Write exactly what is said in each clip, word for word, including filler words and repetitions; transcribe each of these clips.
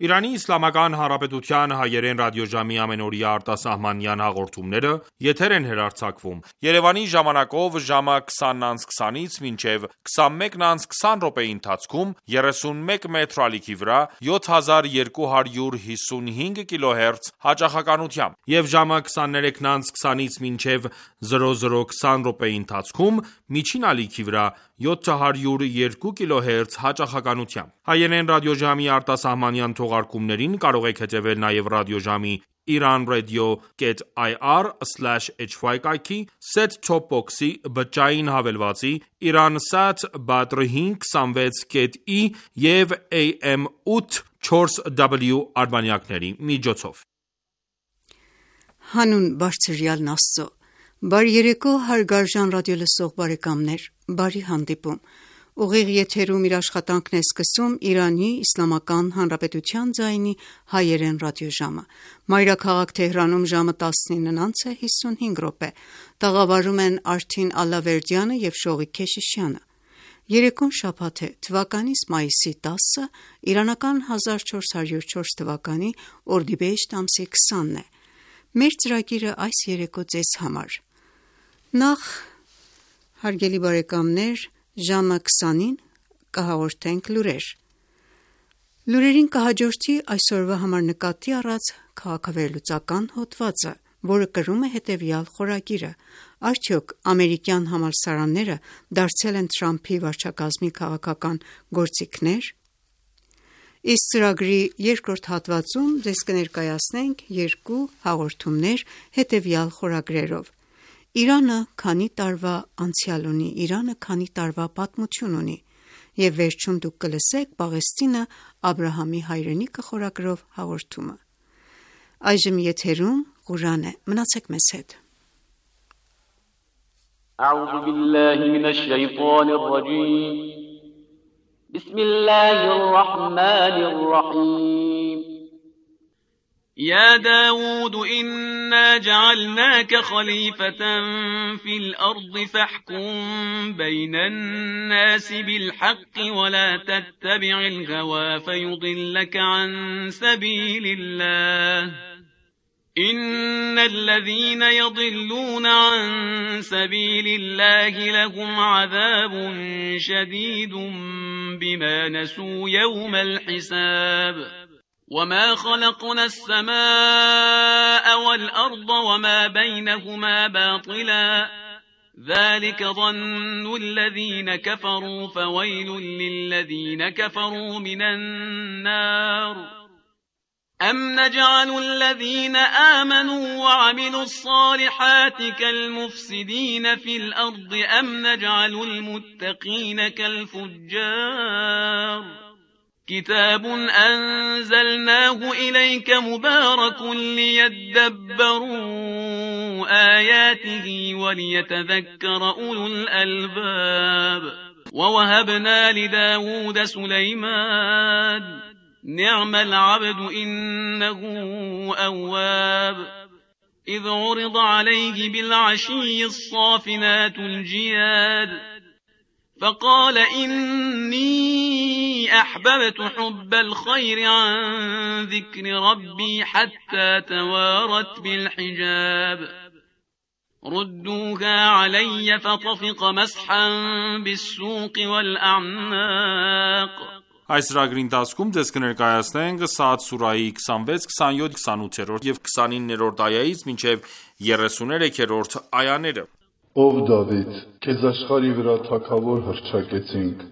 Իրանի Իսլամական Հանրապետության հայերեն ռադիոժամի ամենօրյա արտասահմանյան հաղորդումները եթեր են հեռարձակվում Երևանի ժամանակով ժամը քսանից քսանից մինչև քսանմեկը քսան րոպեի ընթացքում երեսունմեկ մետր ալիքի վրա յոթ հազար երկու հարյուր հիսունհինգ կիլոհերց հաճախականությամբ եւ ժամը քսաներեքը քսանից մինչև զրո զրո քսան րոպեի ընթացքում միջին ալիքի վրա յոթ հարյուր երկու կիլոհերց հաճախականությամբ։ Հայերեն ռադիոժամի արտասահմանյան թողարկումներին կարող եք հետևել նաև ռադիոժամի iranradio.ir slash hy կայքի, set-top box-ի, բջջային հավելվածի, Iransat Badr հինգ հիսունվեց ի և A M ութ չորս W արբանյակների միջոցով։ Հանուն բարձրյալն Աստծո, բարի երեկո հարգարժան ռադիոլսող բարեկամներ, բարի հանդիպում։ Ուղիղ եթերում իր աշխատանքն է սկսում Իրանի Իսլամական Հանրապետության ձայնի հայերեն ռադիոժամը։ Մայրաքաղաք Թեհրանում ժամը տասնինը հիսունհինգ րոպե։ Տաղավարում են Արթին Ալլավերդյանը և Շողիկ Քեշիշյանը։ Երեկոն շաբաթ է, թվականիս մայիսի տասը, իրանական հազար չորս հարյուր չորս թվականի օրդիբեհեշտ ամսի քսանն է։ Մեր ծրագիրը այս երեկո ձեզ համար։ Նախ, հարգելի բարեկամներ, ժամը քսանին կհաղորդենք լուրեր։ Լուրերին կհաջորդի այսօրվա համար նկատի առած քաղաքավերլուծական հոդվածը, որը կրում է հետևյալ խորագիրը. Արդյոք ամերիկյան համալսարանները դարձել են Թրամփի վարչակազմի քաղաքական գործիքնե՞ր։ Իսկ ծրագրի երկրորդ հատվածում ձեզ կներկայացնենք երկու հաղորդումներ հետևյալ խորագրերով. Իրանը քանի տարվա անցյալ ունի, Իրանը քանի տարվա պատմություն ունի, և վերջում դուք կլսեք Պաղեստինը Աբրահամի հայրենիքը խորագրով հաղորդումը։ Այժմ եթերում Ղուրան է, մնացեք մեզ հետ։ أعوذ بالله من الشيطان الرجيم بسم الله الرحمن الرحيم يا داود إنا جعلناك خليفة في الأرض فاحكم بين الناس بالحق ولا تتبع الهوى فيضلك عن سبيل الله إن الذين يضلون عن سبيل الله لهم عذاب شديد بما نسوا يوم الحساب وما خلقنا السماء والأرض وما بينهما باطلا ذلك ظن الذين كفروا فويل للذين كفروا من النار أم نجعل الذين آمنوا وعملوا الصالحات كالمفسدين في الأرض أم نجعل المتقين كالفجار كتاب أنزلناه إليك مبارك ليدبروا آياته وليتذكر أولو الألباب ووهبنا لداود سليمان نعم العبد إنه أواب إذ عرض عليه بالعشي الصافنات الجياد فقال إني أحببت حب الخير عن ذكر ربي حتى توارت بالحجاب ردوها علي فطفق مسحا بالسوق والأعناق Այս ծրագրի ընթացքում ձեզ կներկայացնենք Սաադ սուրահի քսանվեց, քսանյոթ, քսանութերորդ եւ քսանիններորդ այայից մինչեւ երեսուներեքերորդ այաները։ Ով Դավիթ, քեզ աշխարհի վրա թագավոր հռչակեցինք,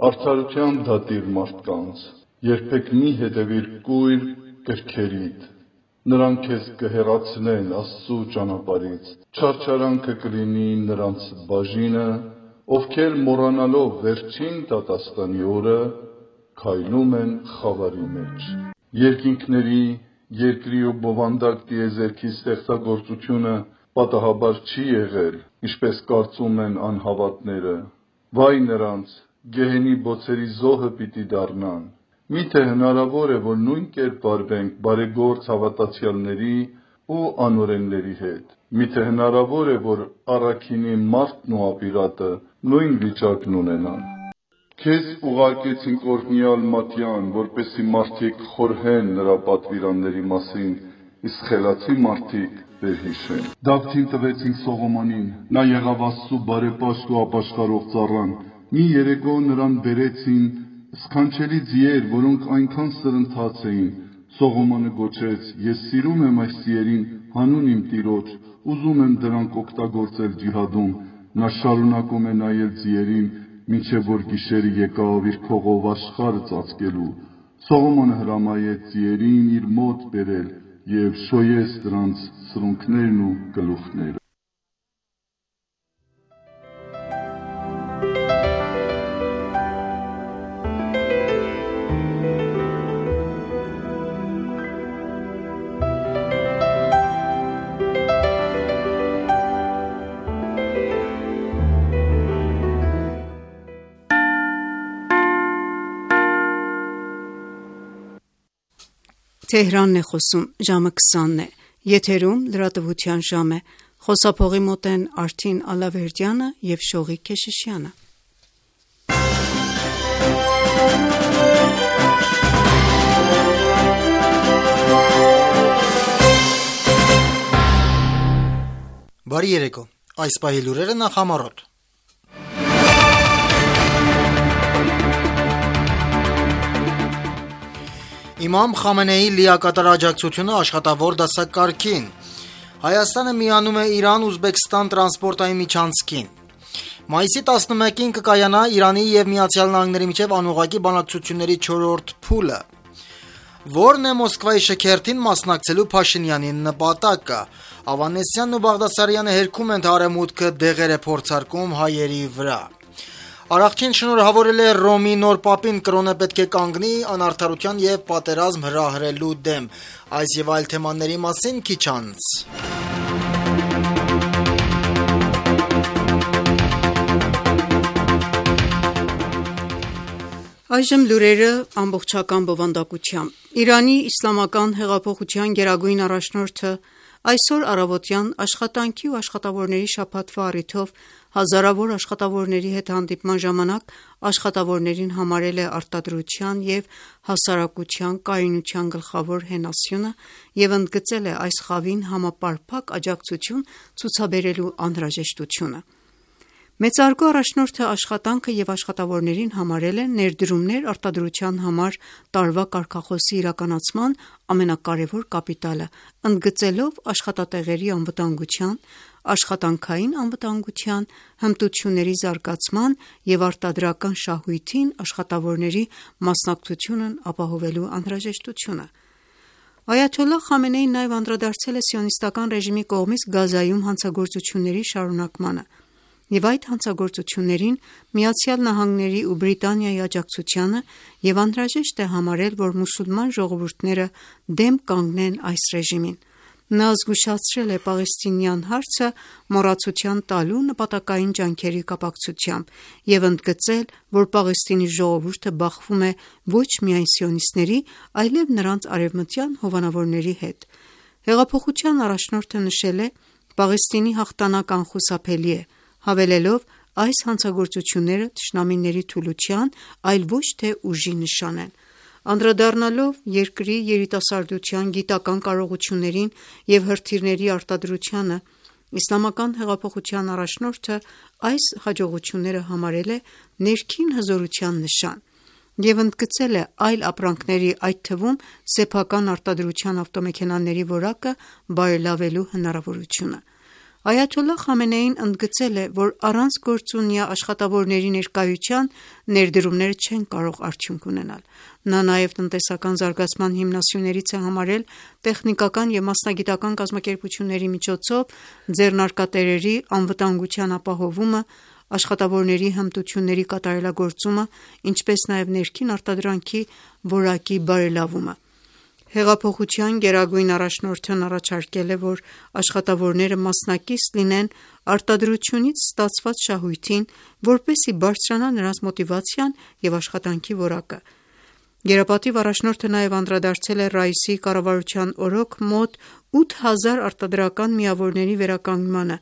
արդարության դատիր մարդկանց, երբեք մի հետևիր կույր կրքերիդ, նրանք քեզ կհեռացնեն Աստծու ճանապարհից, չարչարանքը կլինի նրանց բաժինը, ովքեր մոռանալով վերջին դատաստանի օրը քայլում են խավարի մեջ։ Երկինքների, երկրի ու բովանդակ տիեզերքի ստեղծագործությունը պատահաբար չի եղել, ինչպես կարծում են անհավատները։ Վայ նրանց, գեհենի բոցերի զոհը պիտի դառնան։ Միթե հնարավոր է, որ նույն կերպ վարվենք բարեգործ հավատացյալների ու անօրենների հետ։ Միթե հնարավոր է, որ առաքինի մարդն ու ապիրատը նույն վիճակն ունենան։ Քեզ ուղարկեցինք օրհնյալ Մատյան, որպեսզի մարդիկ խորհեն նրա պատվիրանների մասին, իսկ խելացի մարդիկ վերհիշեն։ Դավթին տվեցինք Սողոմոնին, նա եղավ Աստծու բարեպաշտ ու ապաշխարող ծառան։ Մի երեկո նրան բերեցին սքանչելի ձիեր, որոնք այնքան սրընթաց էին։ Սողոմոնը գոչեց. «Ես սիրում եմ այս ձիերին հանուն իմ Տիրոջ, ուզում եմ դրանք օգտագործել ջիհադում»։ Նա շարունակում է նայել ձիերին, մինչև որ գիշերը եկավ իր քողով աշխարհը ծածկելու։ Սողոմոնը հրամայեց ձիերին իր մոտ բերել և շոյեց դրանց սրունքներն ու գլուխները։ Թեհրանն է խոսում, ժամը քսանն է, եթերում լրատվության ժամ է, խոսափողի մոտ են Արթին Ալավերդյանը և Շողիկ Քեշիշյանը։ Բարի երեկո, այս պահի լուրերը նախամարոտ։ Իմամ Խամենեի լիակատար աջակցությունը աշխատավոր դասակարգին։ Հայաստանը միանում է Իրան-Ուզբեկստան տրանսպորտային միջանցքին։ Մայիսի տասնմեկին կկայանա Իրանի և Միացյալ Նահանգների միջև անուղղակի բանակցությունների չորրորդ փուլը։ Որն է Մոսկվայի շքերթին մասնակցելու Փաշինյանի նպատակը։ Ավանեսյանն ու Բաղդասարյանը հերքում են, թե Արևմուտքը դեղեր է փորձարկում հայերի վրա։ Արարչին շնորհավորել է Ռոմի նոր պապին, կրոնը պետք է կանգնի անարդարության և պատերազմ հրահրելու դեմ։ Այս և այլ թեմաների մասին քիչ անց։ Այժմ լուրերը ամբողջական բովանդակությամբ։ Իրանի իսլամական հեղափոխության գերագույն առաջնորդը այսօր առավոտյան աշխատանքի ու աշխատավորների շաբաթվա առիթով հազարավոր աշխատավորների հետ հանդիպման ժամանակ աշխատավորներին համարել է արտադրության և հասարակության կայունության գլխավոր հենասյունը և ընդգծել է այս խավին համապարփակ աջակցություն ցուցաբերելու անհրաժեշտությունը։ Մեծարգո առաջնորդը աշխատանքը և աշխատավորներին համարել է ներդրումներ արտադրության համար տարվա կարգախոսի իրականացման ամենակարևոր կապիտալը, ընդգծելով աշխատատեղերի անվտանգության, աշխատանքային անվտանգության, հմտությունների զարգացման և արտադրական շահույթին աշխատավորների մասնակցությունն ապահովելու անհրաժեշտությունը։ Այաթոլլահ Խամենեին նաև անդրադարձել է սիոնիստական ռեժիմի կողմից Գազայում հանցագործությունների շարունակմանը և այդ հանցագործություններին Միացյալ Նահանգների ու Բրիտանիայի աջակցությանը և անհրաժեշտ է համարել, որ մուսուլման ժողովուրդները դեմ կանգնեն այս ռեժիմին։ Նա զգուշացրել է պաղեստինյան հարցը մոռացության տալու նպատակային ջանքերի կապակցությամբ և ընդգծել, որ Պաղեստինի ժողովուրդը բախվում է ոչ միայն սիոնիստների, այլև նրանց արևմտյան հովանավորների հետ։ Հեղափոխության առաջնորդը նշել է. «Պաղեստինի հաղթանակ անխուսափելի է», հավելելով. «Այս հանցագործությունները թշնամիների թուլության, այլ ոչ թե ուժի նշան են»։ Անդրադառնալով երկրի երիտասարդության գիտական կարողություններին և հրթիռների արտադրությանը, Իսլամական հեղափոխության առաջնորդը այս հաջողությունները համարել է ներքին հզորության նշան և ընդգծել է այլ ապրանքների, այդ թվում սեփական արտադրության ավտոմեքենաների որակը բարելավելու հնարավորությունը։ Այաթոլլահ Խամենեին ընդգծել է, որ առանց գործունյա աշխատավորների ներկայության ներդրումները չեն կարող արդյունք ունենալ։ Նա նաև տնտեսական զարգացման հիմնասյուներից է համարել տեխնիկական և մասնագիտական կազմակերպությունների միջոցով ձեռնարկատերերի անվտանգության ապահովումը, աշխատավորների հմտությունների կատարելագործումը, ինչպես նաև ներքին արտադրանքի որակի բարելավումը։ Հեղափոխության գերագույն առաջնորդն առաջարկել է, որ աշխատավորները մասնակից լինեն արտադրությունից ստացված շահույթին, որպեսզի բարձրանա նրանց մոտիվացիան և աշխատանքի որակը։ Գերապատիվ առաջնորդը նաև անդրադարձել է Ռաիսի կառավարության օրոք մոտ ութ հազար արտադրական միավորների վերականգնմանը,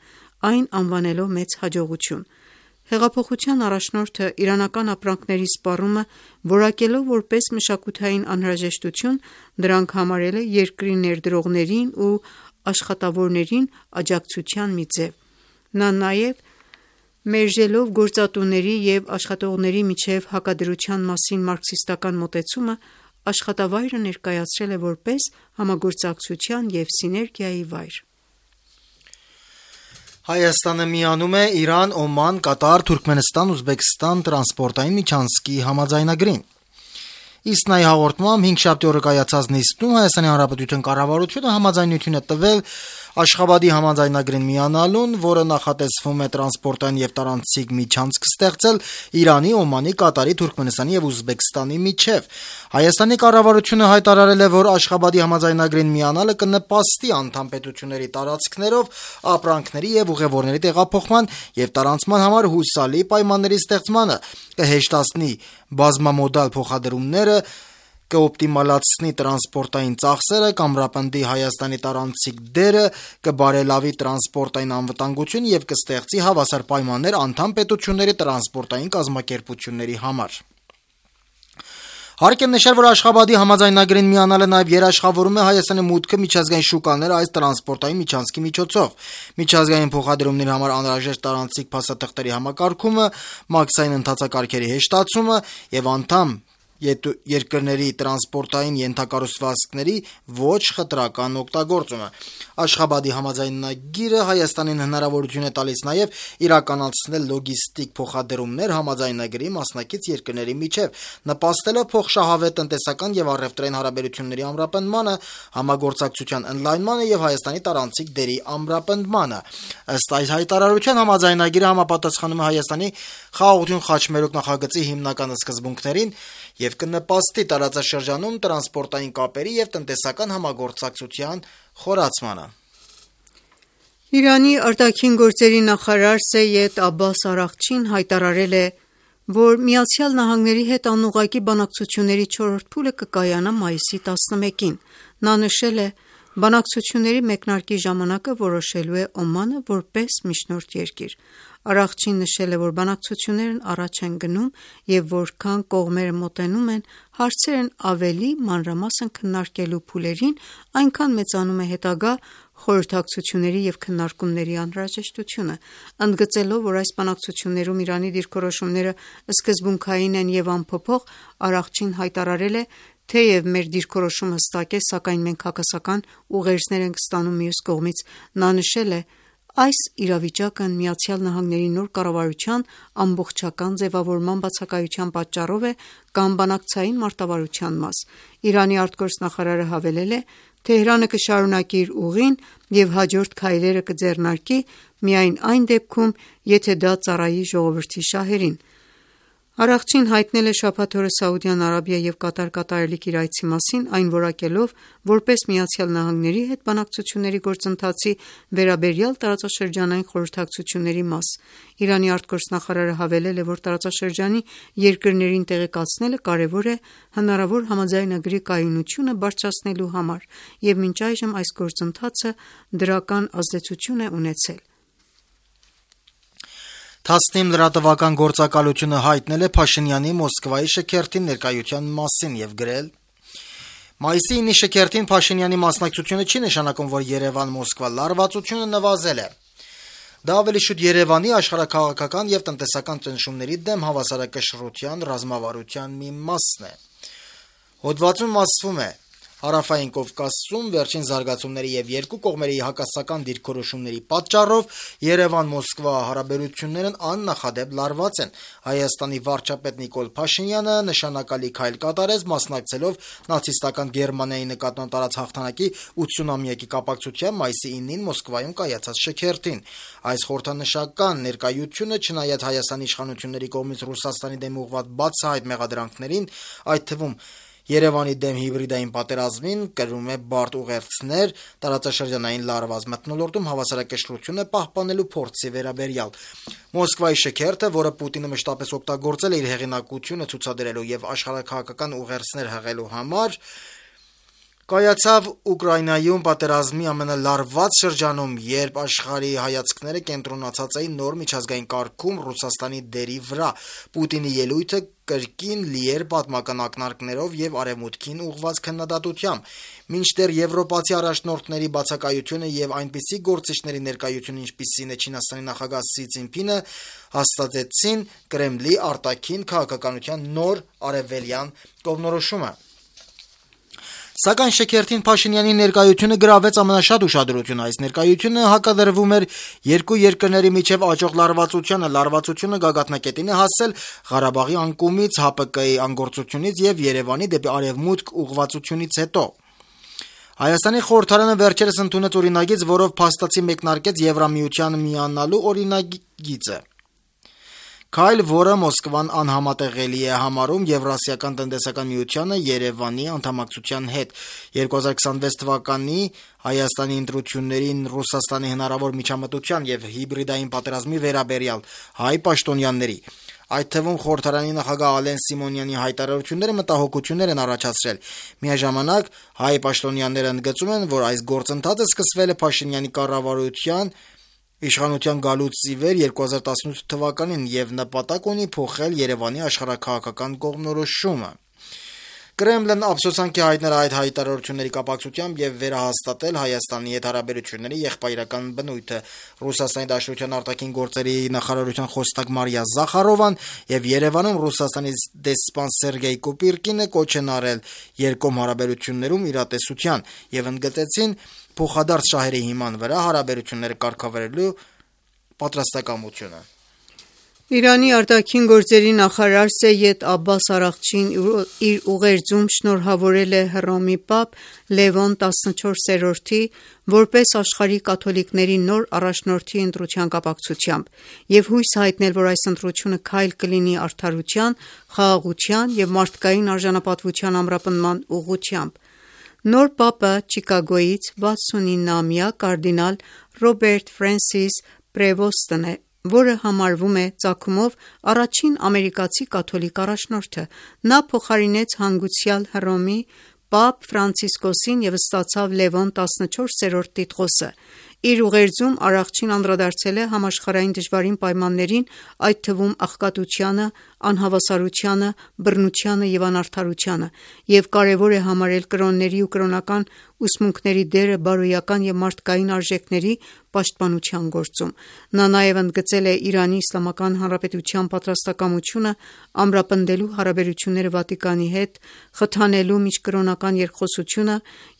այն անվանելով մեծ հաջողություն։ Հեղափոխության առաջնորդը իրանական ապրանքների սպառումը որակելով որպես մշակութային անհրաժեշտություն, դրանք համարել է երկրի ներդրողներին ու աշխատավորներին աջակցության մի ձև։ Նա նաև մերժելով գործատուների և աշխատողների միջև հակադրության մասին մարքսիստական մոտեցումը, աշխատավայրը ներկայացրել է որպես համագործակցության և սիներգիայի վայր։ Հայաստանը միանում է Իրան, Օման, Կատար, Թուրքմենստան, Ուզբեկստան տրանսպորտային միջանցքի համաձայնագրին։ Իսնայի հաղորդմամբ հինգշաբթի օրը կայացած նիստում Հայաստանի Հանրապետության կառավարությունը համաձայնություն է տվել Աշխաբադի համաձայնագրին միանալուն, որը նախատեսվում է տրանսպորտային և տարանցիկ միջանցք ստեղծել Իրանի, Օմանի, Կատարի, Թուրքմենստանի և Ուզբեկստանի միջև։ Հայաստանի կառավարությունը հայտարարել է, որ Աշխաբադի համաձայնագրին միանալը կնպաստի անդամ պետությունների տարածքներով ապրանքների և ուղևորների տեղափոխման և տարանցման համար հուսալի պայմանների ստեղծմանը, կհեշտացնի բազմամոդալ փոխադրումները, կօպտիմալացնի տրանսպորտային ծախսերը, կամրապնդի Հայաստանի տարանցիկ դերը, կբարելավի տրանսպորտային անվտանգությունը և կստեղծի հավասար պայմաններ անդամ պետությունների տրանսպորտային կազմակերպությունների համար։ Հարկ է նշել, որ Աշխաբադի համաձայնագրին միանալը նաև երաշխավորում է Հայաստանի մուտքը միջազգային շուկաներ այս տրանսպորտային միջանցքի միջոցով։ Միջազգային փոխադրումների համար անհրաժեշտ տարանցիկ փաստաթղթերի համակարգումը, մաքսային ընթացակարգերի հեշտացումը և անդամ երկրների տրանսպորտային ենթակառուցվածքների ոչ խտրական օգտագործումը։ Աշխաբադի համաձայնագիրը Հայաստանին հնարավորություն է տալիս նաև իրականացնել լոգիստիկ փոխադրումներ համաձայնագրի մասնակից երկրների միջև, նպաստելով փոխշահավետ տնտեսական և առևտրային հարաբերությունների ամրապնդմանը, համագործակցության ընդլայնմանը և Հայաստանի տարանցիկ դերի ամրապնդմանը։ Ըստ այս հայտարարության, համաձայնագիրը համապատասխանում է Հայաստանի «Խաղաղություն, խաչմերուկ» նախագծի հիմնական սկզբունքներին և կնպաստի տարածաշրջանում տրանսպորտային կապերի և տնտեսական համագործակցության խորացմանը։ Իրանի արտաքին գործերի նախարար Սեյեդ Աբբաս Արաղչին հայտարարել է, որ ԱՄՆ-ի հետ անուղղակի բանակցությունների չորրորդ փուլը կկայանա մայիսի տասնմեկին։ Նա նշել է. «Բանակցությունների մեկնարկի ժամանակը որոշելու է Օմանը որպես միջնորդ երկիր»։ Արաղչին նշել է, որ բանակցություններն առաջ են գնում և որքան կողմերը մոտենում են հարցերն ավելի մանրամասն քննարկելու փուլերին, այնքան մեծանում է հետագա խորհրդակցությունների և քննարկումների անհրաժեշտությունը։ Ընդգծելով, որ այս բանակցություններում Իրանի դիրքորոշումները սկզբունքային են և անփոփոխ, Արաղչին հայտարարել է. «Թեև մեր դիրքորոշումը հստակ է, սակայն մենք հակասական ուղերձներ ենք ստանում մյուս կողմից»։ Նա նշել է. «Այս իրավիճակն ԱՄՆ-ի նոր կառավարության ամբողջական ձևավորման բացակայության պատճառով է կամ բանակցային մարտավարության մաս»։ Իրանի արտգործնախարարը հավելել է. «Թեհրանը կշարունակի իր ուղին և հաջորդ քայլերը կձեռնարկի միայն այն դեպքում, եթե դա ծառայի ժողովրդի շահերին»։ Արաղչին հայտնել է շաբաթ օրը Սաուդյան Արաբիա և Կատար կատարելիք իր այցի մասին, այն որակելով որպես ԱՄՆ-ի հետ բանակցությունների գործընթացի վերաբերյալ տարածաշրջանային խորհրդակցությունների մաս։ Իրանի արտգործնախարարը հավելել է, որ տարածաշրջանի երկրներին տեղեկացնելը կարևոր է հնարավոր համաձայնագրի կայունությունը բարձրացնելու համար, և մինչ այժմ այս գործընթացը դրական ազդեցություն է ունեցել։ Թասնիմ լրատվական գործակալությունը հայտնել է Փաշինյանի Մոսկվայի շքերթին ներկայության մասին և գրել. «Մայիսի ինի շքերթին Փաշինյանի մասնակցությունը չի նշանակում, որ Երևան-Մոսկվա լարվածությունը նվազել է։ Դա ավելի շուտ Երևանի աշխարհաքաղաքական և տնտեսական ճնշումների դեմ հավասարակշռության ռազմավարության մի մասն է»։ Հոդվածում ասվում է. Հարավային Կովկասում վերջին զարգացումների և երկու կողմերի հակասական դիրքորոշումների պատճառով Երևան-Մոսկվա հարաբերություններն աննախադեպ լարված են։ Հայաստանի վարչապետ Նիկոլ Փաշինյանը նշանակալի քայլ կատարեց, մասնակցելով նացիստական Գերմանիայի նկատմամբ տարած հաղթանակի ութսունամյակի կապակցությամբ մայիսի ինին Մոսկվայում կայացած շքերթին։ Այս խորհրդանշական ներկայությունը, չնայած Հայաստանի իշխանությունների կողմից Ռուսաստանի դեմ ուղղված բացահայտ մեղադրանքներին, այդ թվում Երևանի դեմ հիբրիդային պատերազմին, կրում է բարդ ուղերձներ տարածաշրջանային լարված մթնոլորտում հավասարակշռությունը պահպանելու փորձի վերաբերյալ։ Մոսկվայի շքերթը, որը Պուտինը մշտապես օգտագործել է իր հեղինակությունը ցուցադրելու և աշխարհաքաղաքական ուղերձներ հղելու համար, Կայացավ Ուկրաինայում պատերազմի ամենալարված շրջանում, երբ աշխարհի հայացքները կենտրոնացած էին նոր միջազգային կարգում Ռուսաստանի դերի վրա։ Պուտինի ելույթը կրկին լի էր պատմական ակնարկներով եւ արևմուտքին ուղղված քննադատությամբ։ Մինչդեռ եվրոպացի առաջնորդների բացակայությունը եւ այնպիսի գործիչների ներկայությունը, ինչպիսին է Չինաստանի նախագահ Սի Ցզինպինը, հաստատեցին Կրեմլի արտաքին քաղաքականության նոր արևելյան կողմնորոշումը։ Սակայն Շեքերթին Փաշինյանի ներկայությունը գրավեց ամենաշատ ուշադրությունը։ Այս ներկայությունը հակադրվում էր երկու երկրների միջև աճող լարվածությանը։ Լարվածությունը գագաթնակետին է հասել Ղարաբաղի անկումից, ՀԱՊԿ-ի անգործությունից եւ Երևանի դեպի արևմուտք ուղղվածությունից հետո։ Հայաստանի խորհրդարանը վերջերս ընդունեց օրինագիծ, որով փաստացի մեկնարկեց Եվրամիության միանալու օրինագիծը։ Քայլ, որը Մոսկվան անհամատեղելի է համարում Եվրասիական տնտեսական միությանը Երևանի անդամակցության հետ։ երկու հազար քսանվեց թվականի Հայաստանի ընտրություններին Ռուսաստանի հնարավոր միջամտության եւ հիբրիդային պատերազմի վերաբերյալ հայ պաշտոնյաների, այդ թվում խորհրդարանի նախագահ Ալեն Սիմոնյանի հայտարարությունները մտահոգություններ են առաջացրել։ Միաժամանակ հայ պաշտոնյաները ընդգծում են, որ այս գործընթացը սկսվել է Փաշինյանի կառավարության իշխանության գալուց ի վեր երկու հազար տասնութ թվականին եւ նպատակ ունի փոխել Երևանի աշխարհաքաղաքական կողմնորոշումը։ Կրեմլն ափսոսանքի հայտնել այդ հայտարարությունների կապակցությամբ եւ վերահաստատել Հայաստանի հետ հարաբերությունների եղբայրական բնույթը։ Ռուսաստանի Դաշնության արտաքին գործերի նախարարության խոսնակ Մարիա Զախարովան եւ Երևանում Ռուսաստանի դեսպան Սերգեյ Կոպիրկինը կոչ են արել երկկողմ հարաբերություններում իրատեսության եւ ընդգծեցին փոխադարձ շահերի հիման վրա հարաբերությունները կարգավորելու պատրաստակամությունը։ Իրանի արտաքին գործերի նախարար Սեյեդ Աբբաս Արաղչին իր ուղերձում շնորհավորել է Հռոմի Պապ Լևոն տասնչորսերորդի որպես աշխարհի կաթոլիկների նոր առաջնորդի ընտրության կապակցությամբ եւ հույս հայտնել, որ այս ընտրությունը քայլ կլինի արդարության, խաղաղության եւ մարդկային արժանապատվության ամրապնդման ուղղությամբ։ Նոր Պապը Չիկագոյից վաթսունինամյա կարդինալ Ռոբերտ Ֆրենսիս Պրևոստն է, որը համարվում է ծագումով առաջին ամերիկացի կաթոլիկ առաջնորդը։ Նա փոխարինեց հանգուցյալ Հռոմի Պապ Ֆրանցիսկոսին եւ ստացավ Լևոն տասնչորսերորդ տիտղոսը։ Իր ուղերձում Արաղչին անդրադարձել է համաշխարհային դժվարին պայմաններին, այդ թվում աղքատությանը, անհավասարությանը, բռնությանը եւ անարդարությանը, եւ կարեւոր է համարել կրոնների ու կրոնական ուսմունքների դերը բարոյական եւ մարդկային արժեքների պաշտպանության գործում։ Նա նաեւ ընդգծել է Իրանի Իսլամական Հանրապետության պատրաստակամությունը ամրապնդելու հարաբերությունները Վատիկանի հետ, խթանելու միջկրոնական երկխոսությունը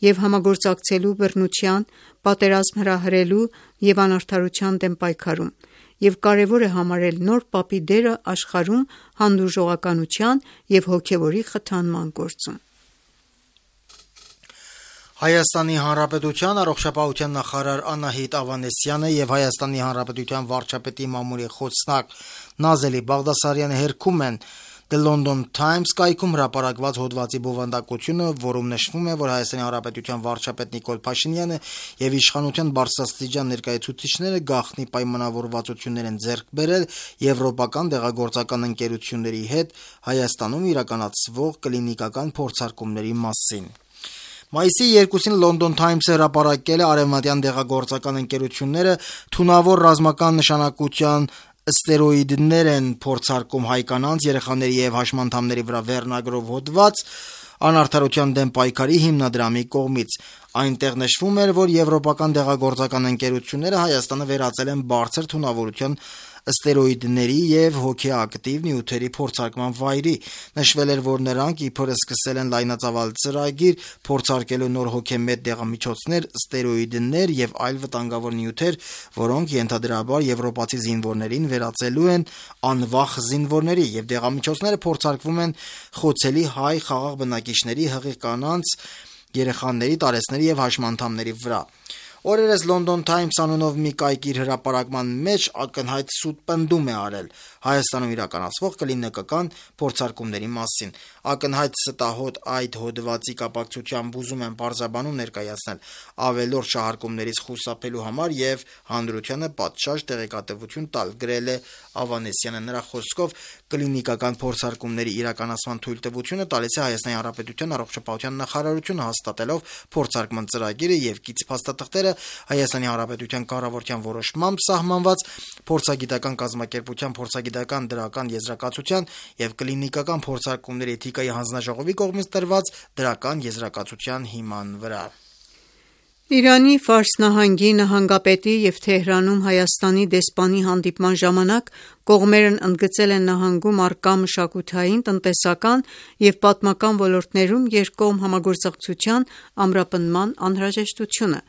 եւ համագործակցելու բռնության, պատերազմ հրահրելու եւ անարդարության դեմ պայքարում, եւ կարեւոր է համարել նոր Պապի դերը աշխարհում հանդուրժողականության եւ հոգեվորի խթանման գործում։ Հայաստանի Հանրապետության առողջապահության նախարար Անահիտ Ավանեսյանը եւ Հայաստանի Հանրապետության վարչապետի մամուլի խոսնակ Նազելի Բաղդասարյանը հերքում են The London Times կայքում հրապարակված հոդվածի բովանդակությունը, որում նշվում է, որ Հայաստանի Հանրապետության վարչապետ Նիկոլ Փաշինյանը եւ իշխանության բարձրաստիճան ներկայացուցիչները գաղտնի պայմանավորվածություններ են ձեռք բերել եվրոպական դեղագործական ընկերությունների հետ Հայաստանում իրականացվող կլինիկական փորձարկումների մասին։ Մայիսի երկուսին London Times-ը հրապարակել է արևմտյան դեղագործական ընկերությունները թունավոր ռազմական նշանակության ստերոիդներ են փորձարկում հայ կանանց, երեխաների եւ հաշմանդամների վրա վերնագրով հոդված անարդարության դեմ պայքարի հիմնադրամի կողմից։ Այնտեղ նշվում էր, որ եվրոպական դեղագործական ընկերությունները Հայաստանը վերածել են բարձր թունավորության ստերոիդների եւ հոգեակտիվ նյութերի փորձարկման վայրի։ Նշվել էր, որ նրանք իբր սկսել են լայնածավալ ծրագիր փորձարկելու նոր հոգեմետ դեղամիջոցներ, ստերոիդներ եւ այլ վտանգավոր նյութեր, որոնք ենթադրաբար եվրոպացի զինվորներին վերածելու են անվախ զինվորների, եւ դեղամիջոցները փորձարկվում են խոցելի հայ խաղաղ բնակիչների, հղի կանանց, երեխաների, տարեցների եւ հաշմանդամների վրա։ Օրերս London Times անունով մի կայք իր հրապարակման մեջ ակնհայտ սուտ պնդում է արել Հայաստանում իրականացվող կլինիկական փորձարկումների մասին։ Ակնհայտ ստահոդ այդ հոդվածի կապակցությամբ ուզում են պարզաբանում ներկայացնել ավելորդ շահարկումներից խուսափելու համար եւ հանրությանը պատշաճ տեղեկատվություն տալ, գրել է Ավանեսյանը։ Նրա խոսքով կլինիկական փորձարկումների իրականացման թույլտվությունը տալիս է Հայաստանի Հանրապետության առողջապահության նախարարությունը, հաստատելով փորձարկման ծրագիրը եւ կից փաստաթղթերը Հայաստանի Հանրապետության կառավարության որոշմամբ սահմանված փորձագիտական կազմակերպության փորձագիտական դրական եզրակացության եւ կլինիկական փորձարկումների էթիկայի հանձնաժողովի կողմից տրված դրական եզրակացության հիման վրա։ Իրանի Ֆարս նահանգի նահանգապետի և Թեհրանում Հայաստանի դեսպանի հանդիպման ժամանակ կողմերն ընդգծել են նահանգում առկա մշակութային, տնտեսական և պատմական ոլորտներում երկկողմ համագործակցության ամրապնդման անհրաժեշտությունը։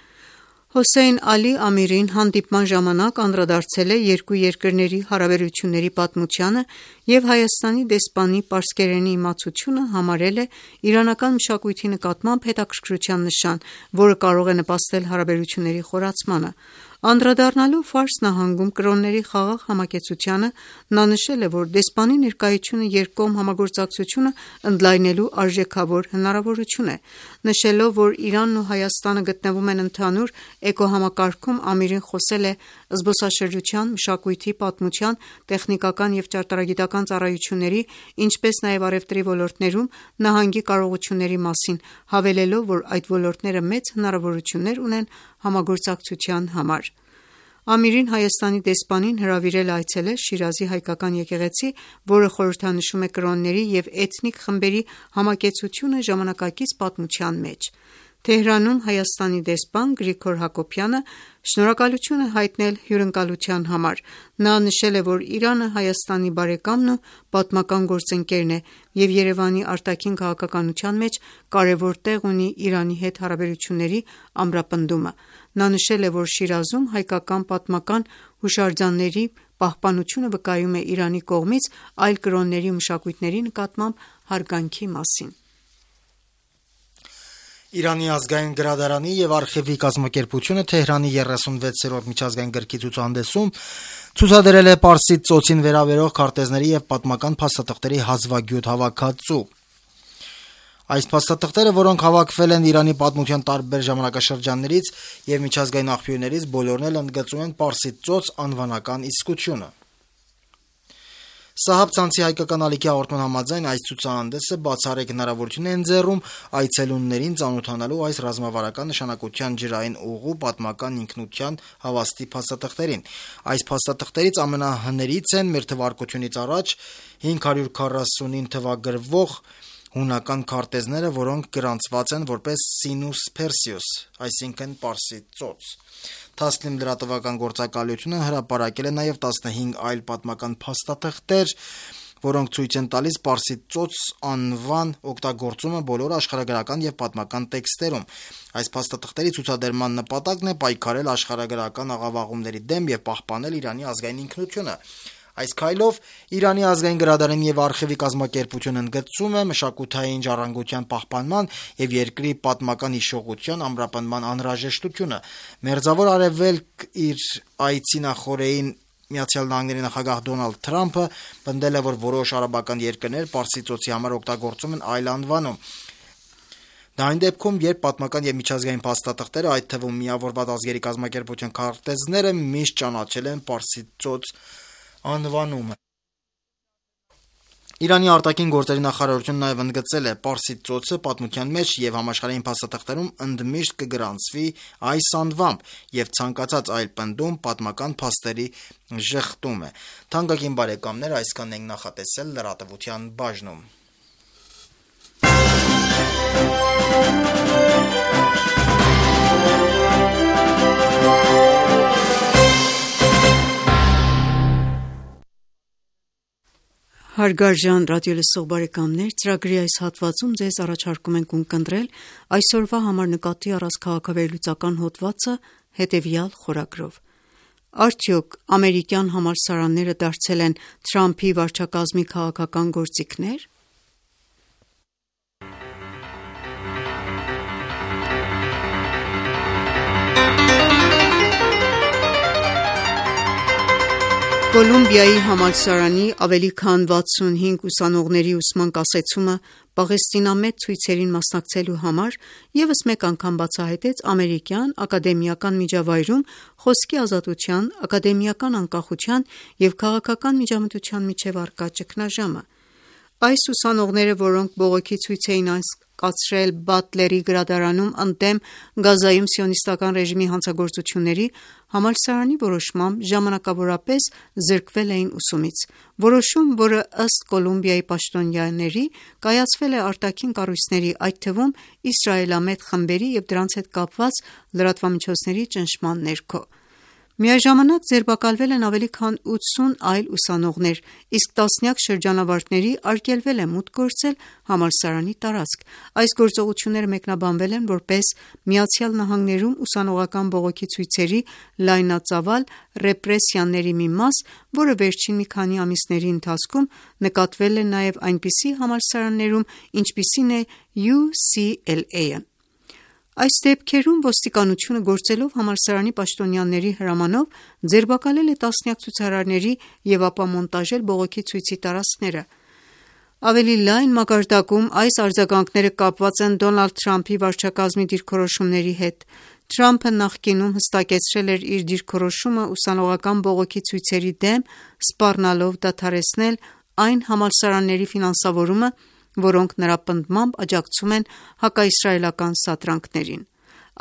Հոսեյն Ալի Ամիրին հանդիպման ժամանակ անդրադարձել է երկու երկրների հարաբերությունների պատմությանը և Հայաստանի դեսպանի պարսկերենի իմացությունը համարել է իրանական մշակույթի նկատմամբ հետաքրքրության նշան, որը կարող է նպաստել հարաբերությունների խորացմանը։ Անդրադառնալով Ֆարս նահանգում կրոնների խաղաղ համակեցությանը, նա նշել է, որ դեսպանի ներկայությունը երկկողմ համագործակցությունը ընդլայնելու արժեքավոր հնարավորություն է։ Նշելով, որ Իրանն ու Հայաստանը գտնվում են ընդհանուր էկոհամակարգում, Ամիրին խոսել է զբոսաշրջության, մշակույթի, պատմության, տեխնիկական և ճարտարագիտական ծառայությունների, ինչպես նաև առևտրի ոլորտներում նահանգի կարողությունների մասին, հավելելով, որ այդ ոլորտները մեծ հնարավորություններ ունեն համագործակցության համար։ Ամիրին Հայաստանի դեսպանին հրավիրել է այցելել Շիրազի հայկական եկեղեցի, որը խորհրդանշում է կրոնների և էթնիկ խմբերի համակեցությունը ժամանակակից պատմության մեջ։ Թեհրանում Հայաստանի դեսպան Գրիգոր Հակոբյանը շնորհակալություն է հայտնել հյուրընկալության համար։ Նա նշել է, որ Իրանը Հայաստանի բարեկամն ու պատմական գործընկերն է և Երևանի արտաքին քաղաքականության մեջ կարևոր տեղ ունի Իրանի հետ հարաբերությունների ամրապնդումը։ Նա նշել է, որ Շիրազում հայկական պատմական հուշարձանների պահպանությունը վկայում է Իրանի կողմից այլ կրոնների ու մշակույթների նկատմամբ հարգանքի մասին։ Իրանի ազգային գրադարանի և արխիվի կազմակերպությունը Թեհրանի երեսունվեցերորդ միջազգային գրքի ցուցահանդեսում ցուցադրել է Պարսից ծոցին վերաբերող քարտեզների և պատմական փաստաթղթերի հազվագյուտ հավաքածու։ Այս փաստաթղթերը, որոնք հավաքվել են Իրանի պատմության տարբեր ժամանակաշրջաններից և միջազգային աղբյուրներից, բոլորն էլ ընդգծում են Պարսից ծոց անվանական իսկությունը։ Սահաբ ցանցի հայկական ալիքի հաղորդման համաձայն այս ցուցահանդեսը բացառիկ հնարավորություն է ընձեռում այցելուններին ծանոթանալու այս ռազմավարական նշանակության ջրային ուղու պատմական ինքնության հավաստի փաստաթղթերին։ Այս փաստաթղթերից ամենահներից են մեր թվարկությունից առաջ հինգ հարյուր քառասունին թվագրվող հունական քարտեզները, որոնք գրանցված են որպես Sinus Perseus, այսինքն Պարսից ծոց։ Թասլիմ լրատվական գործակալությունը հրապարակել է նաև տասնհինգ այլ պատմական փաստաթղթեր, որոնք ցույց են տալիս Պարսից ծոց անվան օգտագործումը բոլոր աշխարհագրական և պատմական տեքստերում։ Այս փաստաթղթերի ցուցադրման նպատակն է պայքարել աշխարհագրական աղավաղումների դեմ և պահպանել Իրանի ազգային ինքնությունը։ Այս քայլով Իրանի ազգային գրադարանի և արխիվի կազմակերպությունը ընդգծում է մշակութային ժառանգության պահպանման և երկրի պատմական հիշողության ամրապնդման անհրաժեշտությունը։ Մերձավոր Արևելք իր այցի նախօրեին Միացյալ Նահանգների նախագահ Դոնալդ Թրամփը պնդել է, որ որոշ արաբական երկրներ Պարսից ծոցի համար օգտագործում են այլ անվանում։ Դա այն դեպքում, երբ պատմական և միջազգային փաստաթղթերը, այդ թվում Միավորված ազգերի կազմակերպության քարտեզները միշտ ճանաչել են Պարսից ծոց անվանումը։ Իրանի արտաքին գործերի նախարարությունը նաև ընդգծել է Պարսից ծոցը պատմության մեջ և համաշխարհային փաստաթղթերում ընդմիշտ կգրանցվի այս անվամբ և ցանկացած այլ պնդում պատմական փաստերի ժխտում է։ Թանկագին բարեկամներ, այսքանն ենք նախատեսել լրատվության բաժնում։ Հարգարժան ռադիոլսող բարեկամներ, ծրագրի այս հատվածում ձեզ առաջարկում ենք ունկնդրել այսօրվա համար նկատի առած քաղաքավերլուծական հոդվածը հետևյալ խորագրով։ Արդյոք ամերիկյան համալսարանները դարձել են Թրամփի վարչակազմի քաղաքական գործիքնե՞ր։ Կոլումբիայի համալսարանի ավելի քան վաթսունհինգ ուսանողների ուսման կասեցումը պաղեստինամետ ցույցերին մասնակցելու համար ևս մեկ անգամ բացահայտեց ամերիկյան ակադեմիական միջավայրում խոսքի ազատության, ակադեմիական անկախության և քաղաքական միջամտության միջև առկա ճգնաժամը։ Այս ուսանողները, որոնք բողոքի ցույց էին անցկացրել Բատլերի գրադարանում ընդդեմ Գազայում սիոնիստական ռեժիմի հանցագործությունների, համալսարանի որոշմամբ ժամանակավորապես զրկվել էին ուսումից։ Որոշում, որը ըստ Կոլումբիայի պաշտոնյաների կայացվել է արտաքին կառույցների, այդ թվում իսրայելամետ խմբերի և դրանց հետ կապված լրատվամիջոցների ճնշման ներքո։ Միաժամանակ ձերբակալվել են ավելի քան ութսուն այլ ուսանողներ, իսկ տասնյակ շրջանավարտների արգելվել է մուտք գործել համալսարանի տարածք։ Այս գործողությունները մեկնաբանվել են որպես ԱՄՆ-ում ուսանողական բողոքի ցույցերի լայնածավալ ռեպրեսիաների մի մաս, որը վերջին մի քանի ամիսների ընթացքում նկատվել է նաև այնպիսի համալսարաններում, ինչպիսին է յու սի էլ էյը։ Այս դեպքերում ոստիկանությունը գործելով համալսարանի պաշտոնյաների հրամանով ձերբակալել է տասնյակ ցուցարարների և ապա մոնտաժել բողոքի ցույցի տարածքները։ Ավելի լայն մակարդակում այս արձագանքները կապված են Դոնալդ Թրամփի վարչակազմի դիրքորոշումների հետ։ Թրամփը նախկինում հստակեցրել էր իր դիրքորոշումը ուսանողական բողոքի ցույցերի դեմ, սպառնալով դադարեցնել այն համալսարանների ֆինանսավորումը, որոնք նրա պնդմամբ աջակցում են հակաիսրայելական սադրանքներին։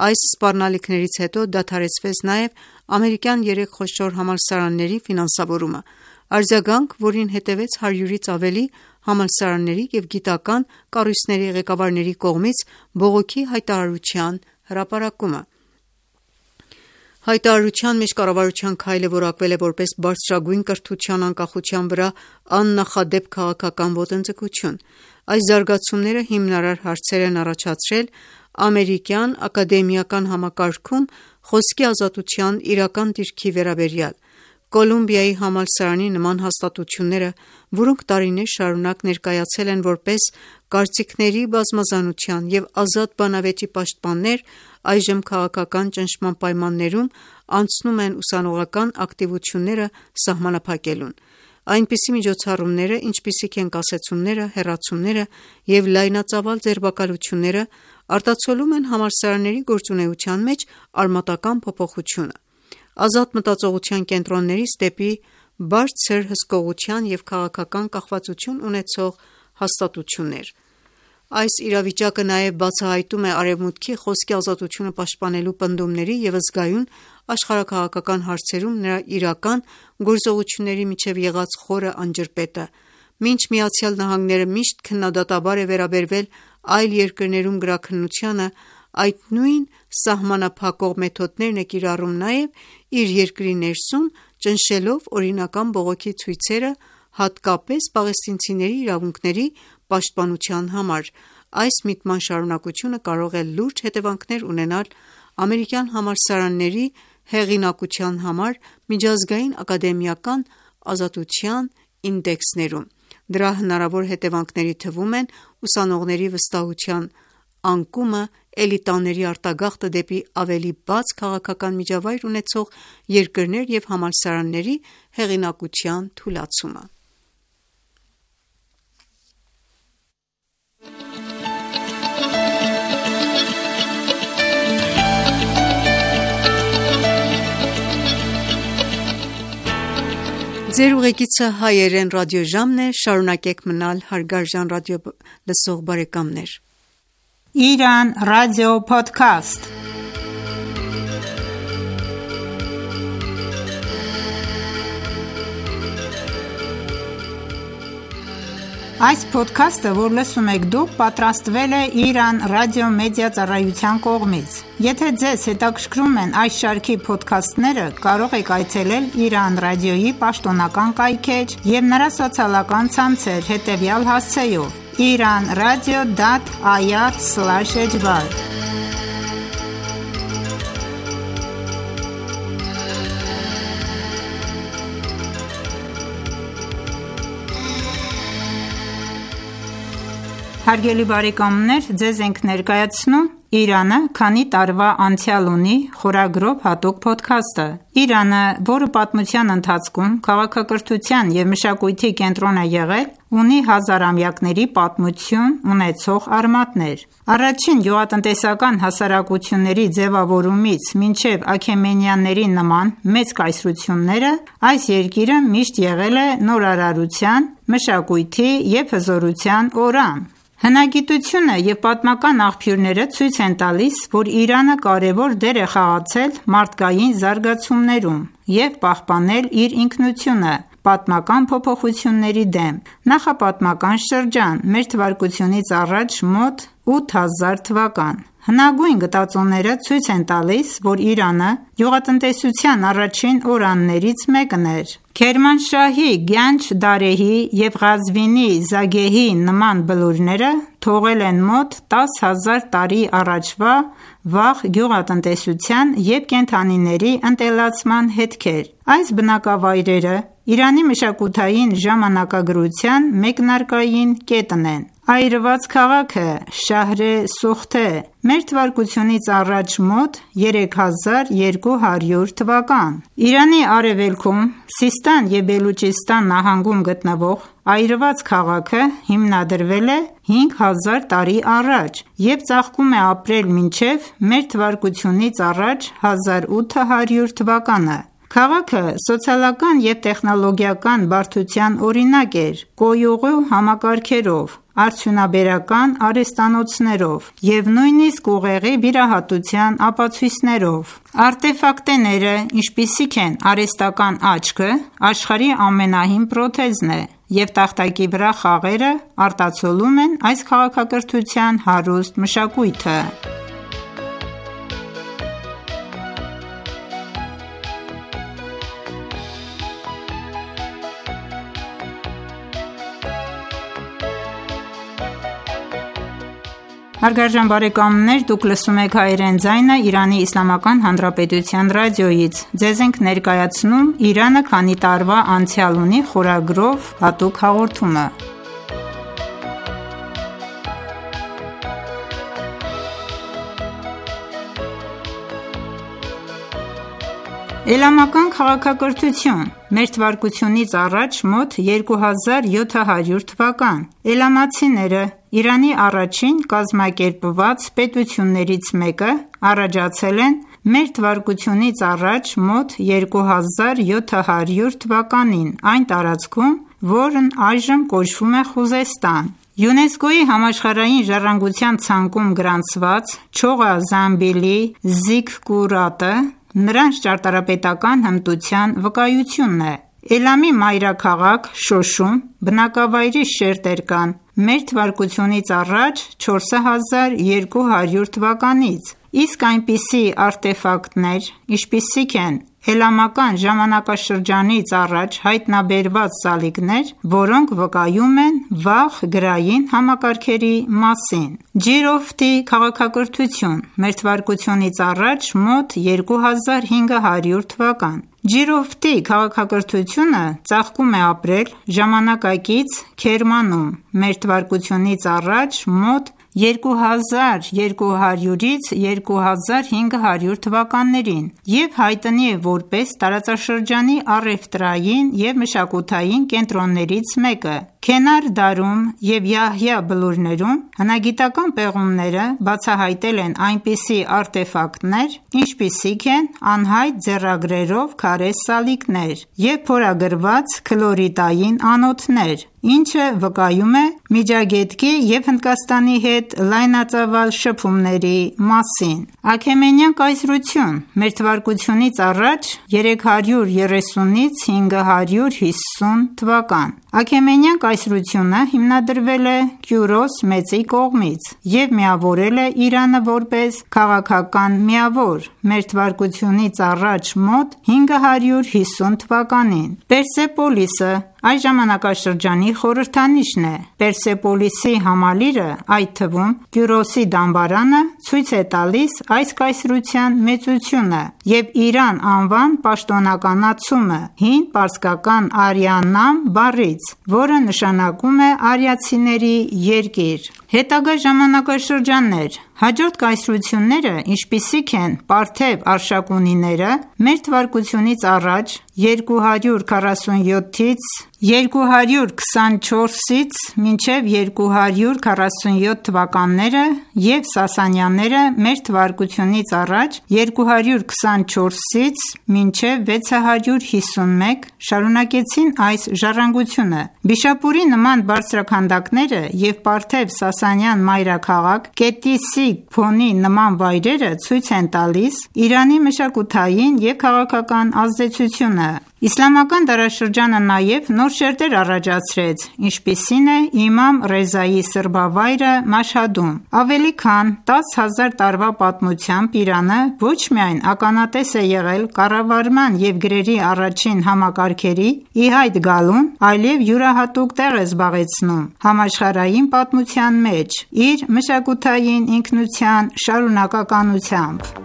Այս սպառնալիքներից հետո դադարեցվեց նաև ամերիկյան երեք խոշոր համալսարանների ֆինանսավորումը, արձագանք, որին հետևեց հարյուրից ավելի համալսարանների և գիտական կառույցների ղեկավարների կողմից բողոքի հայտարարության հրապարակումը։ Հայտարարության մեջ կառավարության քայլը որակվել է որպես բարձրագույն կրթության անկախության վրա աննախադեպ քաղաքական ոտնձգություն։ Այս զարգացումները հիմնարար հարցեր են առաջացրել ամերիկյան ակադեմիական համակարգում խոսքի ազատության իրական դիրքի վերաբերյալ։ Կոլումբիայի համալսարանի նման հաստատությունները, որոնք տարիներ շարունակ ներկայացել են որպես կարծիքների բազմազանության և ազատ բանավեճի պաշտպաններ, այժմ քաղաքական ճնշման պայմաններում անցնում են ուսանողական ակտիվությունները սահմանափակելուն։ Այնպիսի միջոցառումները, ինչպիսիք են կասեցումները, հեռացումները և լայնածավալ ձերբակալությունները, արտացոլում են համալսարանների գործունեության մեջ արմատական փոփոխությունը։ Ազատ մտածողության կենտրոններից դեպի բարձր հսկողության և քաղաքական կախվածություն ունեցող հաստատություններ։ Այս իրավիճակը նաև բացահայտում է Արևմուտքի խոսքի ազատությունը պաշտպանելու պնդումների և զգայուն աշխարհաքաղաքական հարցերում նրա իրական գործողությունների միջև եղած խորը անջրպետը։ Մինչ ԱՄՆ-ը միշտ քննադատաբար է վերաբերվել այլ երկրներում գրաքննությանը, այդ նույն սահմանափակող մեթոդներն է կիրառում նաև իր երկրի ներսում, ճնշելով օրինական բողոքի ցույցերը, հատկապես պաղեստինցիների իրավունքների պաշտպանության համար։ Այս միտման շարունակությունը կարող է լուրջ հետևանքներ ունենալ ամերիկյան համալսարանների հեղինակության համար միջազգային ակադեմիական ազատության ինդեքսներում։ Դրա հնարավոր հետևանքների թվում են ուսանողների վստահության անկումը, էլիտաների արտագաղթը դեպի ավելի բաց քաղաքական միջավայր ունեցող երկրներ և համալսարանների հեղինակության թուլացումը։ Ձեր ուղեկիցը հայերեն ռադիոժամն է, շարունակեք մնալ հարգարժան ռադիո լսող բարեկամներ։ Իրան ռադիո փոդքասթ։ Այս փոդքասթը, որ լսում եք դուք, պատրաստվել է Իրան ռադիո մեդիա ծառայության կողմից։ Եթե ձեզ հետաքրքրում են այս շարքի փոդքասթները, կարող եք այցելել Իրան ռադիոյի պաշտոնական կայքէջ և նրա սոցիալական ցանցեր հետևյալ հասցեով՝ իրանradio.ir slash ejbar։ Հարգելի բարեկամներ, ձեզ ենք ներկայացնում Իրանը քանի տարվա անցյալ ունի խորագրով հատուկ փոդքասթը։ Իրանը, որը պատմության ընթացքում քաղաքակրթության և մշակույթի կենտրոն է եղել, ունի հազարամյակների պատմություն ունեցող արմատներ։ Առաջին գյուղատնտեսական հասարակությունների ձևավորումից մինչև Աքեմենյանների նման մեծ կայսրությունները, այս երկիրը միշտ եղել է նորարարության, մշակույթի և հզորության օրան։ Հնագիտությունը և պատմական աղբյուրները ցույց են տալիս, որ Իրանը կարևոր դեր է խաղացել մարդկային զարգացումներում և պահպանել իր ինքնությունը պատմական փոփոխությունների դեմ։ Նախապատմական շրջան մ.թ.ա. մոտ ութ հազար թվական Հնագույն գտածոները ցույց են տալիս, որ Իրանը գյուղատնտեսության առաջին օրաններից մեկն էր։ Քերմանշահի Գյանջ-Դարեհի և Ղազվինի Զագեհի նման բլուրները թողել են մոտ տասը հազար տարի առաջվա վաղ գյուղատնտեսության և կենդանիների ընտելացման հետքեր։ Այս բնակավայրերը Իրանի մշակութային ժամանակագրության մեկնարկային կետն են։ Այրված քաղաքը Շահր-ե Սուխթե մ.թ.ա. մոտ երեք հազար երկու հարյուր թվական Իրանի արևելքում Սիստան և Բելուջիստան նահանգում գտնվող այրված քաղաքը հիմնադրվել է հինգ հազար տարի առաջ և ծաղկում է ապրել մինչև մ.թ.ա. հազար ութ հարյուր թվականը։ Քաղաքը սոցիալական և տեխնոլոգիական բարդության օրինակ էր կոյուղու համակարգերով, արդյունաբերական արհեստանոցներով և նույնիսկ ուղեղի վիրահատության ապացույցներով։ Արտեֆակտները, ինչպիսիք են արհեստական աչքը, աշխարհի ամենահին պրոթեզն է, և տախտակի վրա խաղերը արտացոլում են այս քաղաքակրթության հարուստ մշակույթը։ Հարգարժան բարեկամներ, դուք լսում եք հայերեն ձայնը Իրանի Իսլամական Հանրապետության ռադիոյից։ Ձեզ ենք ներկայացնում «Իրանը քանի տարվա անցյալ ունի» խորագրով հատուկ հաղորդումը։ Էլամական քաղաքակրթություն մ.թ.ա. մոտ երկու հազար յոթ հարյուր թվական Էլամացիները Իրանի առաջին կազմակերպված պետություններից մեկը առաջացել են մ.թ.ա. մոտ երկու հազար յոթ հարյուր թվականին այն տարածքում, որն այժմ կոչվում է Խուզեստան։ ՅՈՒՆԵՍԿՕ-ի համաշխարհային ժառանգության ցանկում գրանցված Չողա-Զամբիլի զիկկուրատը նրանց ճարտարապետական հմտության վկայությունն է։ Էլամի մայրաքաղաք Շոշում բնակավայրի շերտեր կան մ.թ.ա. չորս հազար երկու հարյուր թվականից, իսկ այնպիսի արտեֆակտներ, ինչպիսիք են էլամական ժամանակաշրջանից առաջ հայտնաբերված սալիկներ, որոնք վկայում են վաղ գրային համակարգերի մասին։ Ջիրոֆթի քաղաքակրթություն մ.թ.ա. մոտ երկու հազար հինգ հարյուր թվական Ջիրոֆթի քաղաքակրթությունը ծաղկում է ապրել ժամանակակից Քերմանում մ.թ.ա. մոտ երկու հազար երկու հարյուրից երկու հազար հինգ հարյուր թվականներին և հայտնի է որպես տարածաշրջանի առևտրային և մշակութային կենտրոններից մեկը։ Քենար Դարում և Յահյա բլուրներում հնագիտական պեղումները բացահայտել են այնպիսի արտեֆակտներ, ինչպիսիք են անհայտ ձեռագրերով քարե սալիկներ և փորագրված քլորիտային անոթներ, ինչը վկայում է Միջագետքի և Հնդկաստանի հետ լայնածավալ շփումների մասին։ Աքեմենյան կայսրություն մ.թ.ա. երեք հարյուր երեսունից հինգ հարյուր հիսուն թվական Աքեմենյան կայսրությունը հիմնադրվել է Կյուրոս Մեծի կողմից և միավորել է Իրանը որպես քաղաքական միավոր մ.թ.ա. մոտ հինգ հարյուր հիսուն թվականին։ Պերսեպոլիսը այս ժամանակաշրջանի խորհրդանիշն է։ Պերսեպոլիսի համալիրը, այդ թվում Կյուրոսի դամբարանը, ցույց է տալիս այս կայսրության մեծությունը և Իրան անվան պաշտոնականացումը հին պարսկական Արիաննամ բառից, որը նշանակում է արիացիների երկիր։ Հետագա ժամանակաշրջաններ Հաջորդ կայսրությունները, ինչպիսիք են Պարթև արշակունիները, մեր թվարկությունից առաջ երկու հարյուր քառասունյոթից երկու հարյուր քսանչորսից մինչև երկու հարյուր քառասունյոթ թվականները և Սասանյանները մեր թվարկությունից առաջ երկու հարյուր քսանչորսից մինչև վեց հարյուր հիսունմեկ շարունակեցին այս ժառանգությունը։ Բիշապուրի նման բարձրաքանդակները և Պարթև-Սասանյան մայրաքաղաք Կետիսի Փոնի նման վայրերը ցույց են տալիս Իրանի մշակութային և քաղաքական ազդեցությունը։ Իսլամական դարաշրջանը նաև նոր շերտեր առաջացրեց, ինչպիսին է Իմամ Ռեզայի սրբավայրը Մաշհադում։ Ավելի քան տասը հազար տարվա պատմությամբ Իրանը ոչ միայն ականատես է եղել կառավարման և գրերի առաջին համակարգերի ի հայտ գալուն, այլև յուրահատուկ տեղ է զբաղեցնում համաշխարհային պատմության մեջ իր մշակութային ինքնության շարունակականությամբ։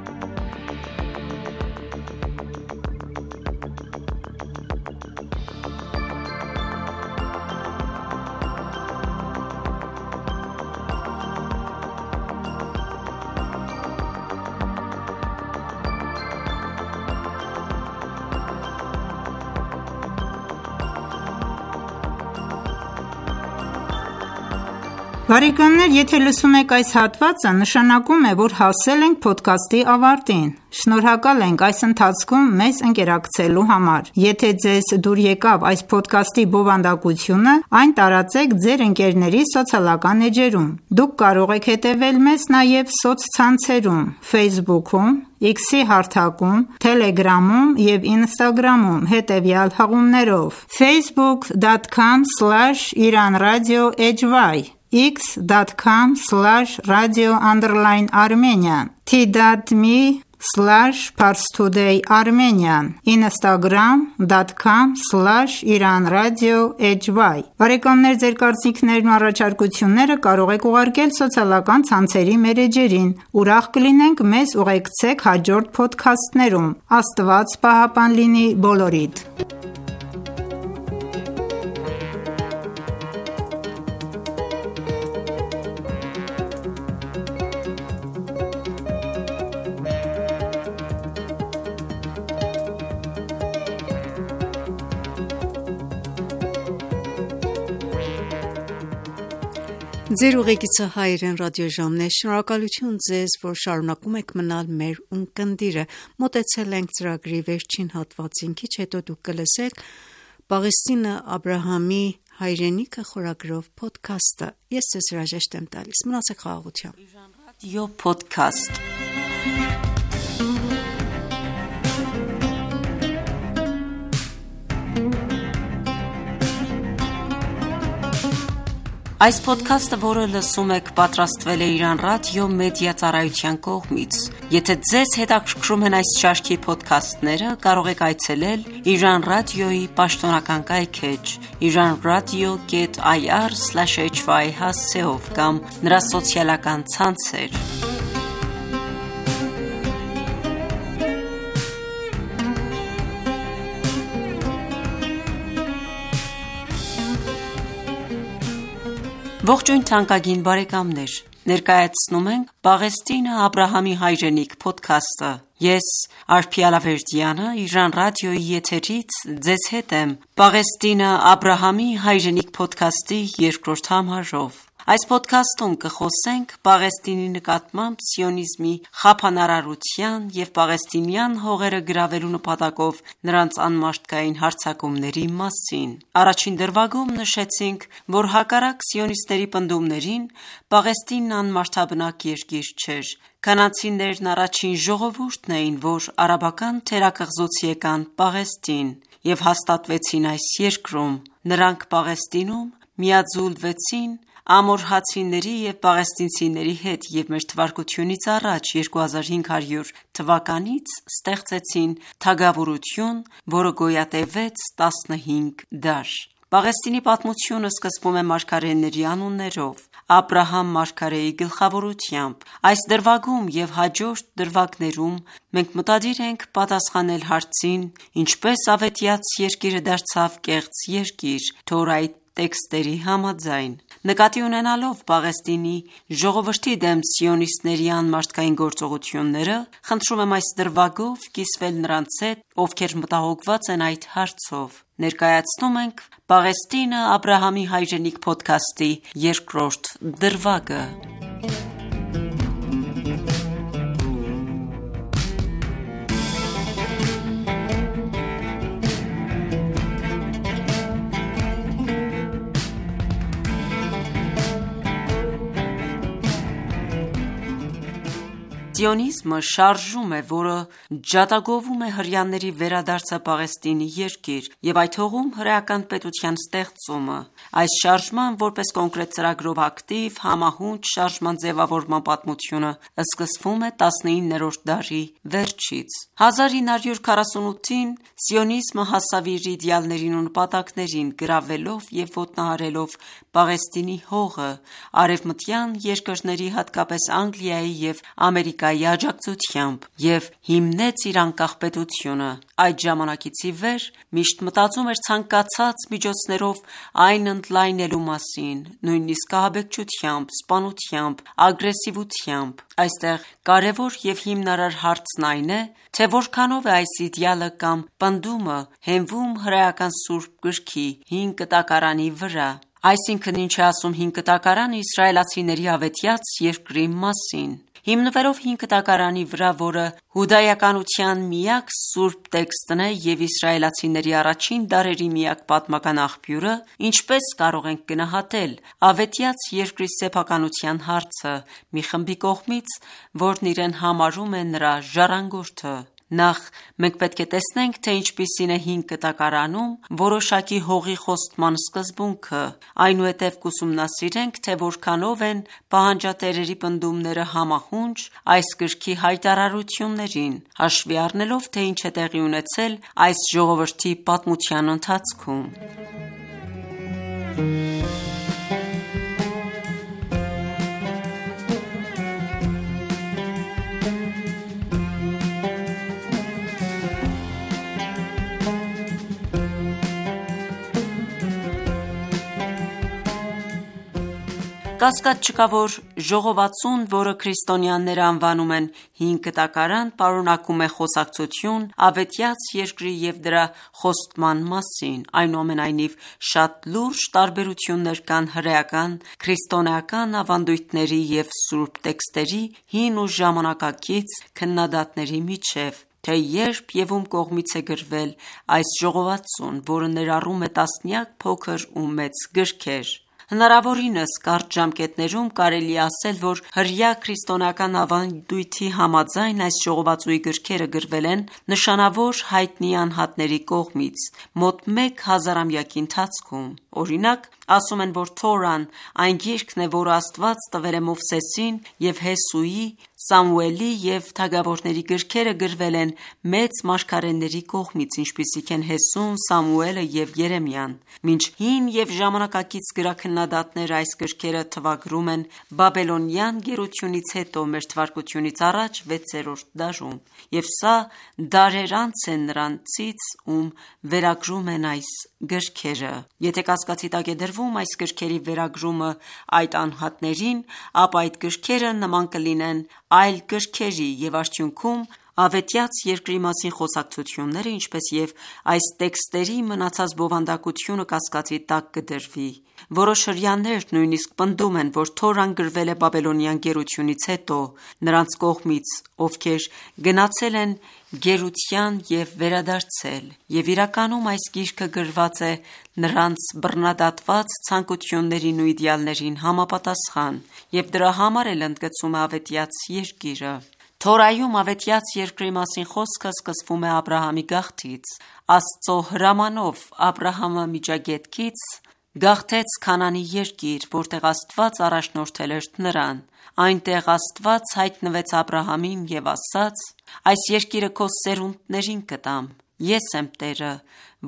Բարեկամներ, եթե լսում եք այս հատվածը, նշանակում է, որ հասել ենք փոդքասթի ավարտին։ Շնորհակալ ենք այս ընթացքում մեզ ընկերակցելու համար։ Եթե ձեզ դուր եկավ այս փոդքասթի բովանդակությունը, այն տարածեք ձեր ընկերների սոցիալական էջերում։ Դուք կարող եք հետևել մեզ նաև սոցցանցերում Facebook-ում, X-ի հարթակում, Telegram-ում և Instagram-ում հետևյալ հղումներով՝ facebook dot com slash iranradio hy x dot com slash radio underline armenian t.me slash parstoday armenian instagram dot com slash iranradio hy Բարեկամներ, ձեր կարծիքներն ու առաջարկությունները կարող եք ուղարկել սոցիալական ցանցերի մեր էջերին։ Ուրախ կլինենք մեզ ուղեկցեք հաջորդ փոդքասթներում։ Աստված պահապան լինի բոլորիդ։ Ձեր ուղեկիցը հայերեն ռադիոժամն է։ Շնորհակալություն ձեզ, որ շարունակում եք մնալ մեր ունկնդիրը։ Մոտեցել ենք ծրագրի վերջին հատվածին, քիչ հետո դուք կլսեք Պաղեստինը Աբրահամի հայրենիքը խորագրով փոդքասթը։ Ես ձեզ հրաժեշտ եմ տալիս։ Մնացեք խաղաղությամբ։ Ռադիո փոդքասթ։ Այս փոդքասթը, որը լսում եք, պատրաստվել է Իրան ռադիո մեդիա ծառայության կողմից։ Եթե ձեզ հետաքրքրում են այս շարքի փոդքասթները, կարող եք այցելել Իրան ռադիոյի պաշտոնական կայքէջ iranradio dot ir slash hy հասցեով կամ նրա սոցիալական ցանցեր։ Ողջույն թանկագին բարեկամներ, ներկայացնում ենք Պաղեստինը Աբրահամի հայրենիք փոդքասթը։ Ես Արփի Ալավերդյանը Իրան ռադիոյի եթերից ձեզ հետ եմ Պաղեստինը Աբրահամի հայրենիք փոդքասթի երկրորդ համարով։ Այս փոդքասթում կխոսենք Պաղեստինի նկատմամբ սիոնիզմի խափանարարության և պաղեստինյան հողերը գրավելու նպատակով նրանց անմարդկային հարձակումների մասին։ Առաջին դրվագում նշեցինք, որ հակառակ սիոնիստների պնդումներին, Պաղեստինն անմարդաբնակ երկիր չէր։ Քանանցիներն առաջին ժողովուրդն էին, որ արաբական թերակղզուց եկան Պաղեստին և հաստատվեցին այս երկրում։ Նրանք Պաղեստինում միաձուլվեցին ամորհացիների և պաղեստինցիների հետ և մեր թվարկությունից առաջ երկու հազար հինգ հարյուր թվականից ստեղծեցին թագավորություն, որը գոյատևեց տասնհինգ դար։ Պաղեստինի պատմությունը սկսվում է մարգարեների անուններով, Աբրահամ մարգարեի գլխավորությամբ։ Այս դրվագում և հաջորդ դրվագներում մենք մտադիր ենք պատասխանել հարցին՝ ինչպես ավետյաց երկիրը դարձավ կեղծ երկիր, թոր այդ տեքստերի համաձայն։ Նկատի ունենալով Պաղեստինի ժողովրդի դեմ սիոնիստների անմարդկային գործողությունները, խնդրում եմ այս դրվագով կիսվել նրանց հետ, ովքեր մտահոգված են այդ հարցով։ Ներկայացնում ենք «Պաղեստինը Աբրահամի հայրենիք» փոդքասթի երկրորդ դրվագը։ Սիոնիզմը շարժում է, որը ջատագովում է հրեաների վերադարձը Պաղեստինի երկիր և այդ հողում հրեական պետության ստեղծումը։ Այս շարժման որպես կոնկրետ ծրագրով ակտիվ, համահունչ շարժման ձևավորման պատմությունը սկսվում է տասնիններորդ դարի վերջից։ հազար ինը հարյուր քառասունութին սիոնիզմը հասավ իր իդեալներին ու նպատակներին՝ գրավելով և ոտնահարելով Պաղեստինի հողը արևմտյան երկրների, հատկապես Անգլիայի և Ամերիկայի աջակցությամբ և հիմնեց իր անկախ պետությունը։ Այդ ժամանակից ի վեր միշտ մտածում էր ցանկացած միջոցներով այն ընդլայնելու մասին, նույնիսկ ահաբեկչությամբ, սպանությամբ, ագրեսիվությամբ։ Այստեղ կարևոր և հիմնարար հարցն այն է, թե որքանով է այս իդեալը կամ պնդումը հենվում հրեական Սուրբ Գրքի հին կտակարանի վրա։ Այսինքն, ինչ է ասում հին կտակարանը իսրայելացիների ավետյաց երկրի մասին։ Հիմնվելով հին կտակարանի վրա, որը հուդայականության միակ սուրբ տեքստն է և իսրայելացիների առաջին դարերի միակ պատմական աղբյուրը, ինչպես կարող ենք գնահատել ավետյաց երկրի սեփականության հարցը մի խմբի կողմից, որն իրեն համարում է նրա ժառանգորդը։ Նախ մենք պետք է տեսնենք, թե ինչպիսին է հին կտակարանում որոշակի հողի խոստման սկզբունքը, այնուհետև կուսումնասիրենք, թե որքանով են պահանջատերերի պնդումները համահունչ այս գրքի հայտարարություններին, հաշվի առնելով, թե ինչ է տեղի ունեցել այս ժողովրդի պատմության ընթացքում։ Կասկած չկա, որ ժողովածուն, որը քրիստոնյաները անվանում են հին կտակարան, պարունակում է խոսակցություն ավետյաց երկրի և դրա խոստման մասին։ Այնուամենայնիվ, շատ լուրջ տարբերություններ կան հրեական, քրիստոնեական ավանդույթների և սուրբ տեքստերի հին ու ժամանակակից քննադատների միջև, թե երբ և ում կողմից է գրվել այս ժողովածուն, որը ներառում է տասնյակ փոքր ու մեծ գրքեր։ Հնարավորինս կարճ ժամկետներում կարելի է ասել, որ հրեա քրիստոնեական ավանդույթի համաձայն այս ժողովածուի գրքերը գրվել են նշանավոր հայտնի անհատների կողմից մոտ մեկ հազարամյակի ընթացքում։ Օրինակ, ասում են, որ Թորան այն գիրքն է, որը Աստված տվել է Մովսեսին և Հեսուի, Սամուելի և թագավորների գրքերը գրվել են մեծ մարգարեների կողմից, ինչպիսիք են Հեսուն, Սամուելը և Երեմիան։ Մինչ հին և ժամանակակից գրաքննադատները այս գրքերը թվագրում են Բաբելոնյան գերությունից հետո մեր թվարկությունից առաջ վեցերորդ դարում, և սա դարեր անց է նրանցից, ում վերագրում են այս գրքերը։ Եթե կասկածի տակ է դրվում այս գրքերի վերագրումը այդ անհատներին, ապա այդ գրքերը նման կլինեն այլ գրքերի, և արդյունքում ավետյաց երկրի մասին խոսակցությունները, ինչպես և այս տեքստերի մնացած բովանդակությունը կասկածի տակ կդրվի։ Որոշ հրեաներ նույնիսկ պնդում են, որ Թորան գրվել է Բաբելոնյան գերությունից հետո նրանց կողմից, ովքեր գնացել են գերության և վերադարձել, և իրականում այս գիրքը գրված է նրանց բռնադատված ցանկություններին ու իդեալներին համապատասխան, և դրա համար էլ ընդգծում է ավետյաց երկիրը։ Թորայում ավետյաց երկրի մասին խոսքը սկսվում է Աբրահամի գաղթից։ Աստծո հրամանով Աբրահամը Միջագետքից գաղթեց Քանանի երկիր, որտեղ Աստված առաջնորդել էր նրան։ Այնտեղ Աստված հայտնվեց Աբրահամին և ասաց. «Այս երկիրը քո սերունդներին կտամ։ Ես եմ Տերը,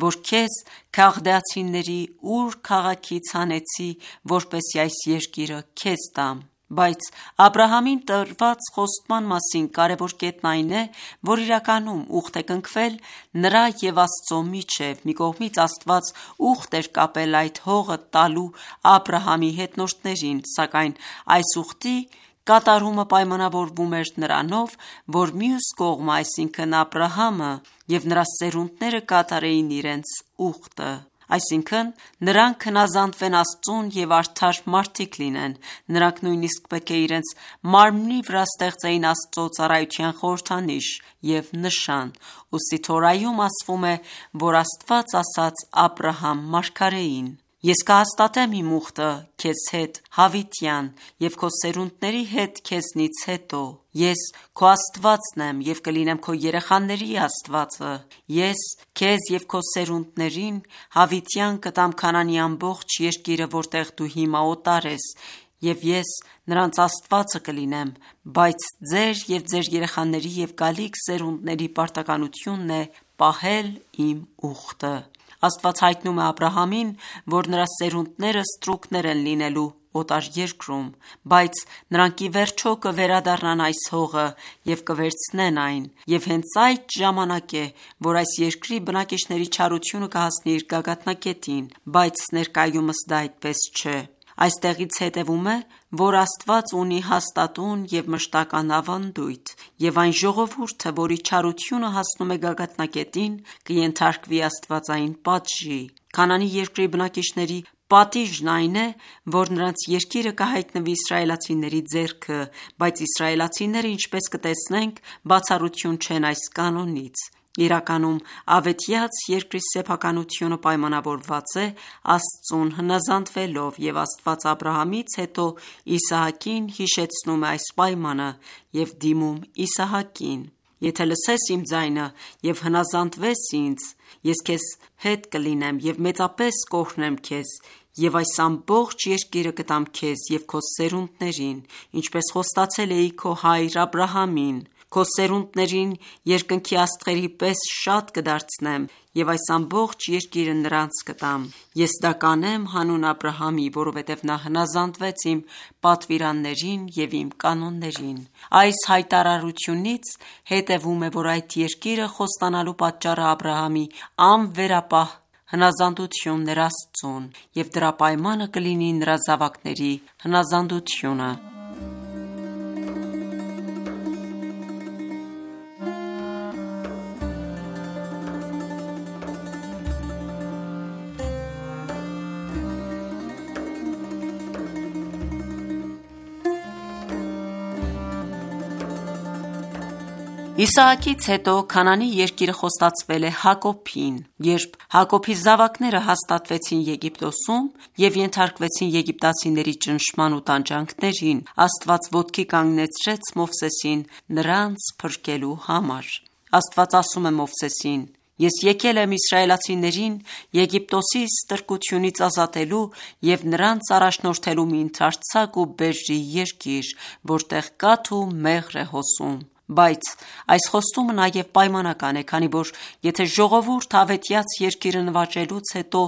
որ քեզ Քաղդեացիների Ուր քաղաքից հանեցի, որպեսզի այս երկիրը քեզ տամ»։ Բայց Աբրահամին տրված խոստման մասին կարևոր կետն այն է, որ իրականում ուխտ է կնքվել նրա և Աստծո միջև։ Մի կողմից Աստված ուխտ էր կապել այդ հողը տալու Աբրահամի հետնորդներին, սակայն այս ուխտի կատարումը պայմանավորվում էր նրանով, որ մյուս կողմը, այսինքն Աբրահամը և նրա սերունդները կատարեին իրենց ուխտը։ Այսինքն նրանք հնազանդվեն Աստծուն և արդար մարդիկ լինեն։ Նրանք նույնիսկ պետք է իրենց մարմնի վրա ստեղծեին Աստծո ծառայության խորհրդանիշ և նշան։ Ուստի Թորայում ասվում է, որ Աստված ասաց Աբրահամ մարգարեին. «Ես կհաստատեմ իմ ուխտը քեզ հետ հավիտյան և քո սերունդների հետ քեզնից հետո։ Ես քո Աստվածն եմ և կլինեմ քո երեխաների Աստվածը։ Ես քեզ և քո սերունդներին հավիտյան կտամ Քանանի ամբողջ երկիրը, որտեղ դու հիմա օտար ես, և ես նրանց Աստվածը կլինեմ, բայց ձեր և ձեր երեխաների և գալիք սերունդների պարտականությունն է պահել իմ ուխտը»։ Աստված հայտնում է Աբրահամին, որ նրա սերունդները ստրուկներ են լինելու օտար երկրում, բայց նրանք ի վերջո կվերադառնան այս հողը և կվերցնեն այն, և հենց այդ ժամանակ է, որ այս երկրի բնակիչների չարությունը կհասնի իր գագաթնակետին, բայց ներկայումս դա այդպես չէ։ Այստեղից հետևում է, որ Աստված ունի հաստատուն և մշտական ավանդույթ, և այն ժողովուրդը, որի չարությունը հասնում է գագաթնակետին, կենթարկվի աստվածային պատժի։ Քանանի երկրի բնակիչների պատիժն այն է, որ նրանց երկիրը կհայտնվի իսրայելացիների ձեռքը, բայց իսրայելացիները, ինչպես կտեսնենք, բացառություն չեն այս կանոնից։ Իրականում ավետյաց երկրի սեփականությունը պայմանավորված է Աստծուն հնազանդվելով, և Աստված Աբրահամից հետո Իսահակին հիշեցնում է այս պայմանը և դիմում Իսահակին. «Եթե լսես իմ ձայնը և հնազանդվես ինձ, ես քեզ հետ կլինեմ և մեծապես կօրհնեմ քեզ, և այս ամբողջ երկիրը կտամ քեզ և քո սերունդներին, ինչպես խոստացել էի քո հայր Աբրահամին։ Քո սերունդներին երկնքի աստղերի պես շատ կդարձնեմ և այս ամբողջ երկիրը նրանց կտամ։ Ես դա կանեմ հանուն Աբրահամի, որովհետև նա հնազանդվեց իմ պատվիրաններին և իմ կանոններին»։ Այս հայտարարությունից հետևում է, որ այդ երկիրը խոստանալու պատճառը Աբրահամի անվերապահ հնազանդությունն էր Աստծուն, և դրա պայմանը կլինի նրա զավակների հնազանդությունը։ Իսահակից հետո Քանանի երկիրը խոստացվել է Հակոբին։ Երբ Հակոբի զավակները հաստատվեցին Եգիպտոսում և ենթարկվեցին եգիպտացիների ճնշման ու տանջանքներին, Աստված ոտքի կանգնեցրեց Մովսեսին նրանց փրկելու համար։ Աստված ասում է Մովսեսին. «Ես եկել եմ իսրայելացիներին Եգիպտոսի ստրկությունից ազատելու և նրանց առաջնորդելու մի ընդարձակ ու բերրի երկիր, որտեղ կաթ ու մեղր է հոսում»։ Բայց այս խոստումը նաև պայմանական է, քանի որ եթե ժողովուրդը ավետյաց երկիրը նվաճելուց հետո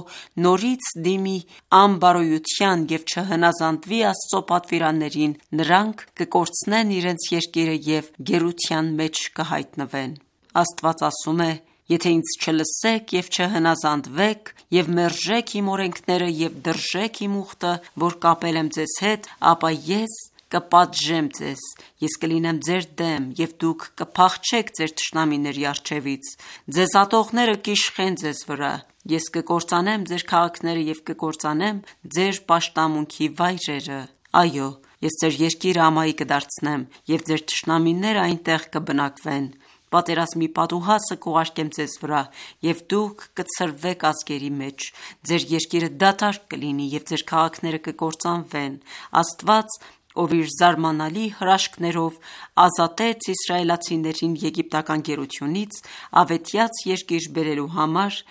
նորից դիմի անբարոյության և չհնազանդվի Աստծո պատվիրաններին, նրանք կկորցնեն իրենց երկիրը և գերության մեջ կհայտնվեն։ Աստված ասում է. «Եթե ինձ չլսեք և չհնազանդվեք և մերժեք իմ օրենքները և դրժեք իմ ուխտը, որ կապել եմ ձեզ հետ, ապա ես կպատժեմ ձեզ, ես կլինեմ ձեր դեմ, և դուք կփախչեք ձեր թշնամիների առջևից, ձեզ ատողները կիշխեն ձեզ վրա, ես կկործանեմ ձեր քաղաքները և կկործանեմ ձեր պաշտամունքի վայրերը։ Այո, ես ձեր երկիրը ամայի կդարձնեմ, և ձեր թշնամիները այնտեղ կբնակվեն։ Պատերազմի պատուհասը կուղարկեմ ձեզ վրա, և դուք կցրվեք ազգերի մեջ, ձեր երկիրը դատարկ կլինի, և ձեր քաղաքները կկործանվեն»։ Աստված, ով իր զարմանալի հրաշքներով ազատեց իսրայելացիներին եգիպտական գերությունից, ավետյաց երկիր բերելու համար,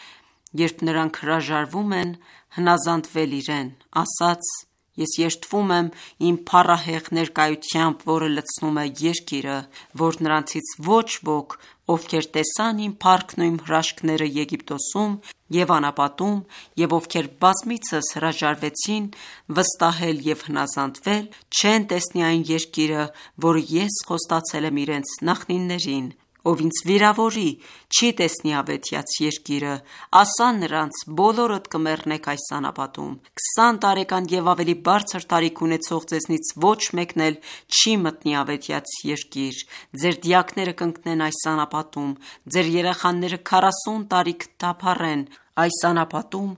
երբ նրանք հրաժարվում են հնազանդվել իրեն, ասաց. «Ես երդվում եմ իմ փառահեղ ներկայությամբ, որը լցնում է երկիրը, որ նրանցից ոչ ոք, ովքեր տեսան իմ փառքն ու իմ հրաշքները Եգիպտոսում և անապատում, և ովքեր բազմիցս հրաժարվեցին վստահել և հնազանդվել, չեն տեսնի այն երկիրը, որը ես խոստացել եմ իրենց նախնիներին: Ով ինձ վիրավորի, չի տեսնի ավետյաց երկիրը, ասա նրանց, բոլորդ կմեռնեք այս անապատում: Քսան տարեկան և ավելի բարձր տարիք ունեցող ձեզնից ոչ մեկն էլ չի մտնի ավետյաց երկիր: Ձեր դիակները կընկնեն այս անապատում, ձեր երեխաները քառասուն տարի կտափառեն այս անապատում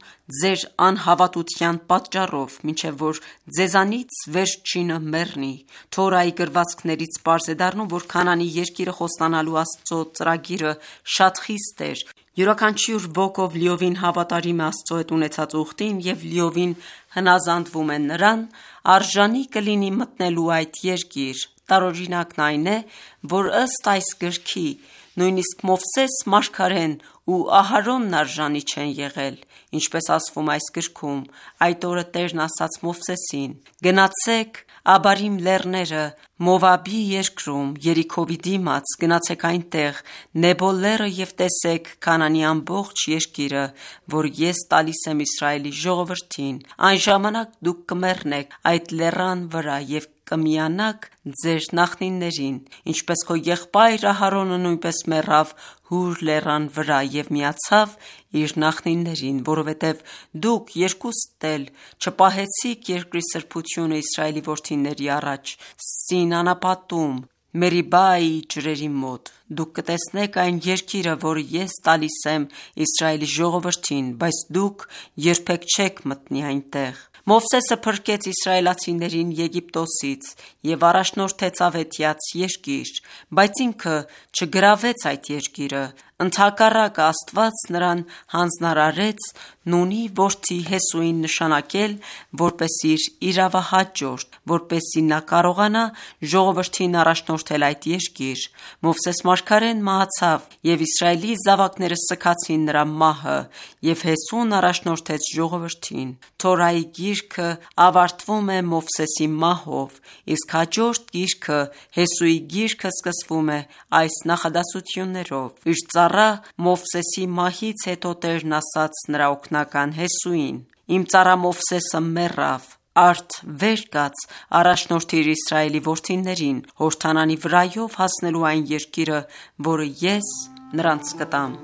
ձեր անհավատության պատճառով, մինչև որ ձեզանից վերջինը մեռնի: Թորայի գրվածքներից պարզ է դառնում, որ Քանանի երկիրը խոստանալու Աստծո ծրագիրը շատ խիստ էր: Յուրաքանչյուր ոք, ով լիովին հավատարիմ է Աստծո հետ ունեցած ուխտին և լիովին հնազանդվում է նրան, արժանի կլինի մտնելու այդ երկիր: Տարօրինակն այն է, որ ըստ այս գրքի, նույնիսկ Մովսես մարգարեն ու Ահարոնն արժանի չեն եղել: Ինչպես ասվում է այս գրքում, այդ օրը Տերն ասաց Մովսեսին. «Գնացեք Աբարիմ լեռները Մովաբի երկրում, Երիքովի դիմաց, գնացեք այնտեղ Նեբո լեռը և տեսեք Քանանի ամբողջ երկիրը, որ ես տալիս եմ Իսրայելի ժողովրդին: Այն ժամանակ դուք կմեռնեք այդ լեռան վրա և կմիանաք ձեր նախնիներին, ինչպես քո եղբայր Ահարոնը նույնպես մեռավ Հուր լեռան վրա և միացավ իր նախնիներին, որովհետև դուք երկուստ էլ չպահեցիք երկրի սրբությունը Իսրայելի որդիների առաջ Սին անապատում Մերիբայի ջրերի մոտ: Դուք կտեսնեք այն երկիրը, որը ես տալիս եմ Իսրայելի ժողովրդին, բայց դուք երբեք չեք մտնի այնտեղ»: Մովսեսը փրկեց իսրայելացիներին Եգիպտոսից և առաջնորդեց ավետյաց երկիր, բայց ինքը չգրավեց այդ երկիրը: Ընդհակառակը, Աստված նրան հանձնարարեց Նունի որդի Հեսուին նշանակել որպես իր իրավահաջորդ, որպեսզի նա կարողանա ժողովրդին առաջնորդել այդ երկիր: Մովսես մարգարեն մահացավ և Իսրայելի զավակները սգացին նրա մահը և Հեսուն առաջնորդեց ժողովրդին: Թորայի գիրքը ավարտվում է Մովսեսի մահով, իսկ հաջորդ գիրքը՝ Հեսուի գիրքը, սկսվում է այս նախադասություններով. «Իր ծառա Մովսեսի մահից հետո Տերն ասաց նրա օգնական Հեսուին. Իմ ծառա Մովսեսը մեռավ, արդ վեր կաց առաջնորդիր Իսրայելի որդիներին Հորդանանի վրայով հասնելու այն երկիրը, որը ես նրանց կտամ»: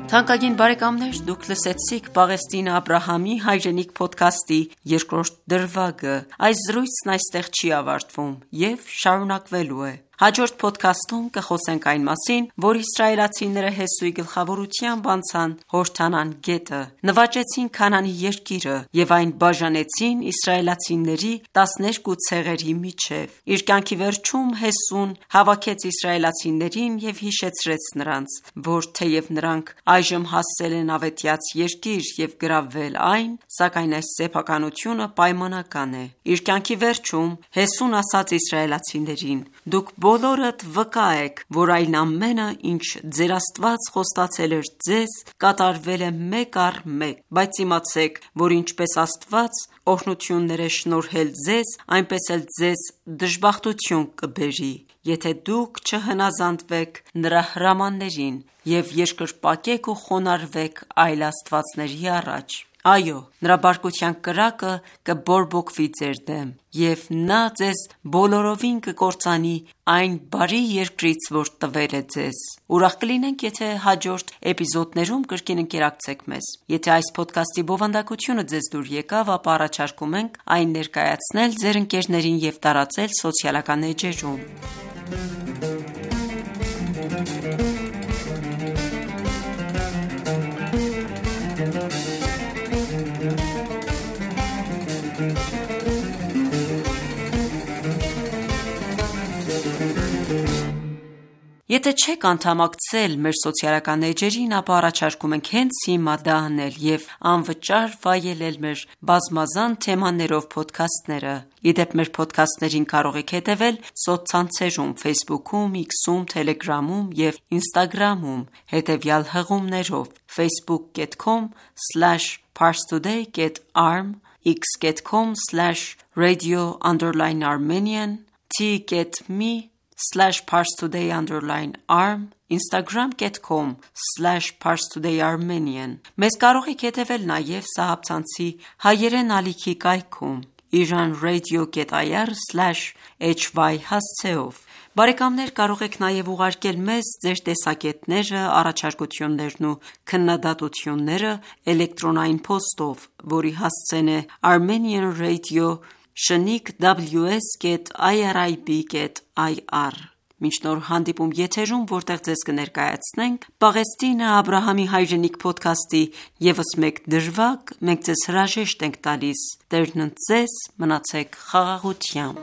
Թանկագին բարեկամներ, դուք լսեցիք Պաղեստինը Աբրահամի հայրենիք փոդքասթի երկրորդ դրվագը: Այս զրույցն այստեղ չի ավարտվում և շարունակվելու է: Հաջորդ փոդքասթում կխոսենք այն մասին, որ իսրայելացիները Հեսուի գլխավորությամբ անցան Հորդանան գետը, նվաճեցին Քանանի երկիրը և այն բաժանեցին իսրայելացիների տասներկու ցեղերի միջև: Իր կյանքի վերջում Հեսուն հավաքեց իսրայելացիներին և հիշեցրեց նրանց, որ թեև նրանք այժմ հասել են ավետյաց երկիր և գրավել այն, սակայն այս սեփականությունը պայմանական է: Իր կյանքի վերջում Հեսուն ասաց իսրայելացիներին. «Դուք բոլորդ վկա եք, որ այն ամենը, ինչ ձեր Աստված խոստացել էր ձեզ, կատարվել է մեկ առ մեկ: Բայց իմացեք, որ ինչպես Աստված օրհնություններ է շնորհել ձեզ, այնպես էլ ձեզ դժբախտություն կբերի, եթե դուք չհնազանդվեք նրա հրամաններին և երկրպագեք ու խոնարհվեք այլ աստվածների առաջ: Այո, նրա բարկության կրակը կբորբոքվի ձեր դեմ, և նա ձեզ բոլորովին կկործանի այն բարի երկրից, որ տվել է ձեզ: Ուրախ կլինենք, եթե հաջորդ էպիզոդներում կրկին ընկերակցեք մեզ: Եթե այս փոդքասթի բովանդակությունը ձեզ դուր եկավ, ապա առաջարկում ենք այն ներկայացնել ձեր ընկերներին և տարածել սոցիալական էջերում: Եթե չեք անդամակցել մեր սոցիալական էջերին, ապա առաջարկում ենք հենց հիմա դա անել և անվճար վայելել մեր բազմազան թեմաներով փոդքասթները։ Ի դեպ, մեր փոդքասթներին կարող եք հետևել սոցցանցերում՝ Facebook-ում, X-ում, Telegram-ում և Instagram-ում հետևյալ հղումներով՝ facebook dot com slash parstoday dot arm, x dot com slash radio underline armenian, t.me slash parstoday underline arm, instagram dot com slash parstoday armenian։ Մեզ կարող եք հետևել նաև սահաբցանցի հայերեն ալիքի կայքում iranradio dot i r slash h y հասցեով։ Բարեկամներ, կարող եք նաև ուղարկել մեզ ձեր տեսակետները, առաջարկություններն ու քննադատությունները էլեկտրոնային փոստով, որի հասցեն է Armenian Radio շնիկ ws dot irib dot i r։ Մինչ նոր հանդիպում եթերում, որտեղ ձեզ կներկայացնենք Պաղեստինը Աբրահամի հայրենիք փոդքասթի ևս մեկ դրվագ, մենք ձեզ հրաժեշտ ենք տալիս։ Տերն ընդ ձեզ, մնացեք խաղաղությամբ։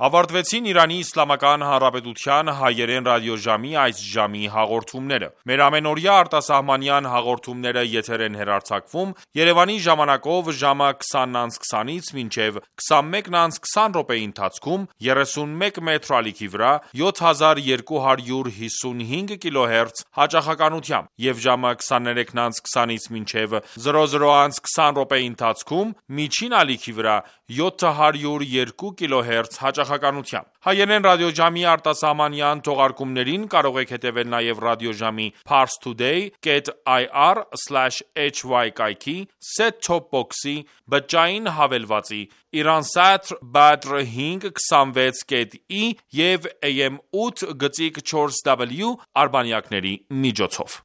Ավարտվեցին Իրանի Իսլամական Հանրապետության հայերեն ռադիոժամի այս ժամի հաղորդումները։ Մեր ամենօրյա արտասահմանյան հաղորդումները եթեր են հեռարձակվում Երևանի ժամանակով ժամը քսանն անց քսանից մինչև քսանմեկն անց քսան րոպեի ընթացքում երեսունմեկ մետր ալիքի վրա յոթ հազար երկու հարյուր հիսունհինգ կիլոհերց հաճախականությամբ եւ ժամը քսաներեքն անց քսանից մինչև զրո զրո անց քսան րոպեի ընթացքում միջին ալիքի վրա յոթ հարյուր երկու կիլոհերց հաճախականությամբ։ Հայերեն ռադիոժամի արտասահմանյան թողարկումներին կարող եք հետևել նաև ռադիոժամի parstoday dot i r slash h y կայքի, set-top box-ի, բջջային հավելվածի, Iransat Badr հինգ քսանվեց dot i և A M ութ գծիկ չորս w արբանյակների միջոցով։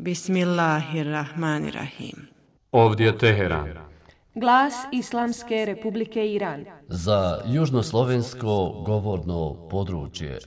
Bismillahirrahmanirrahim. Ovdje Teheran. Glas Islamske Republike Iran. Za južnoslovensko govorno područje.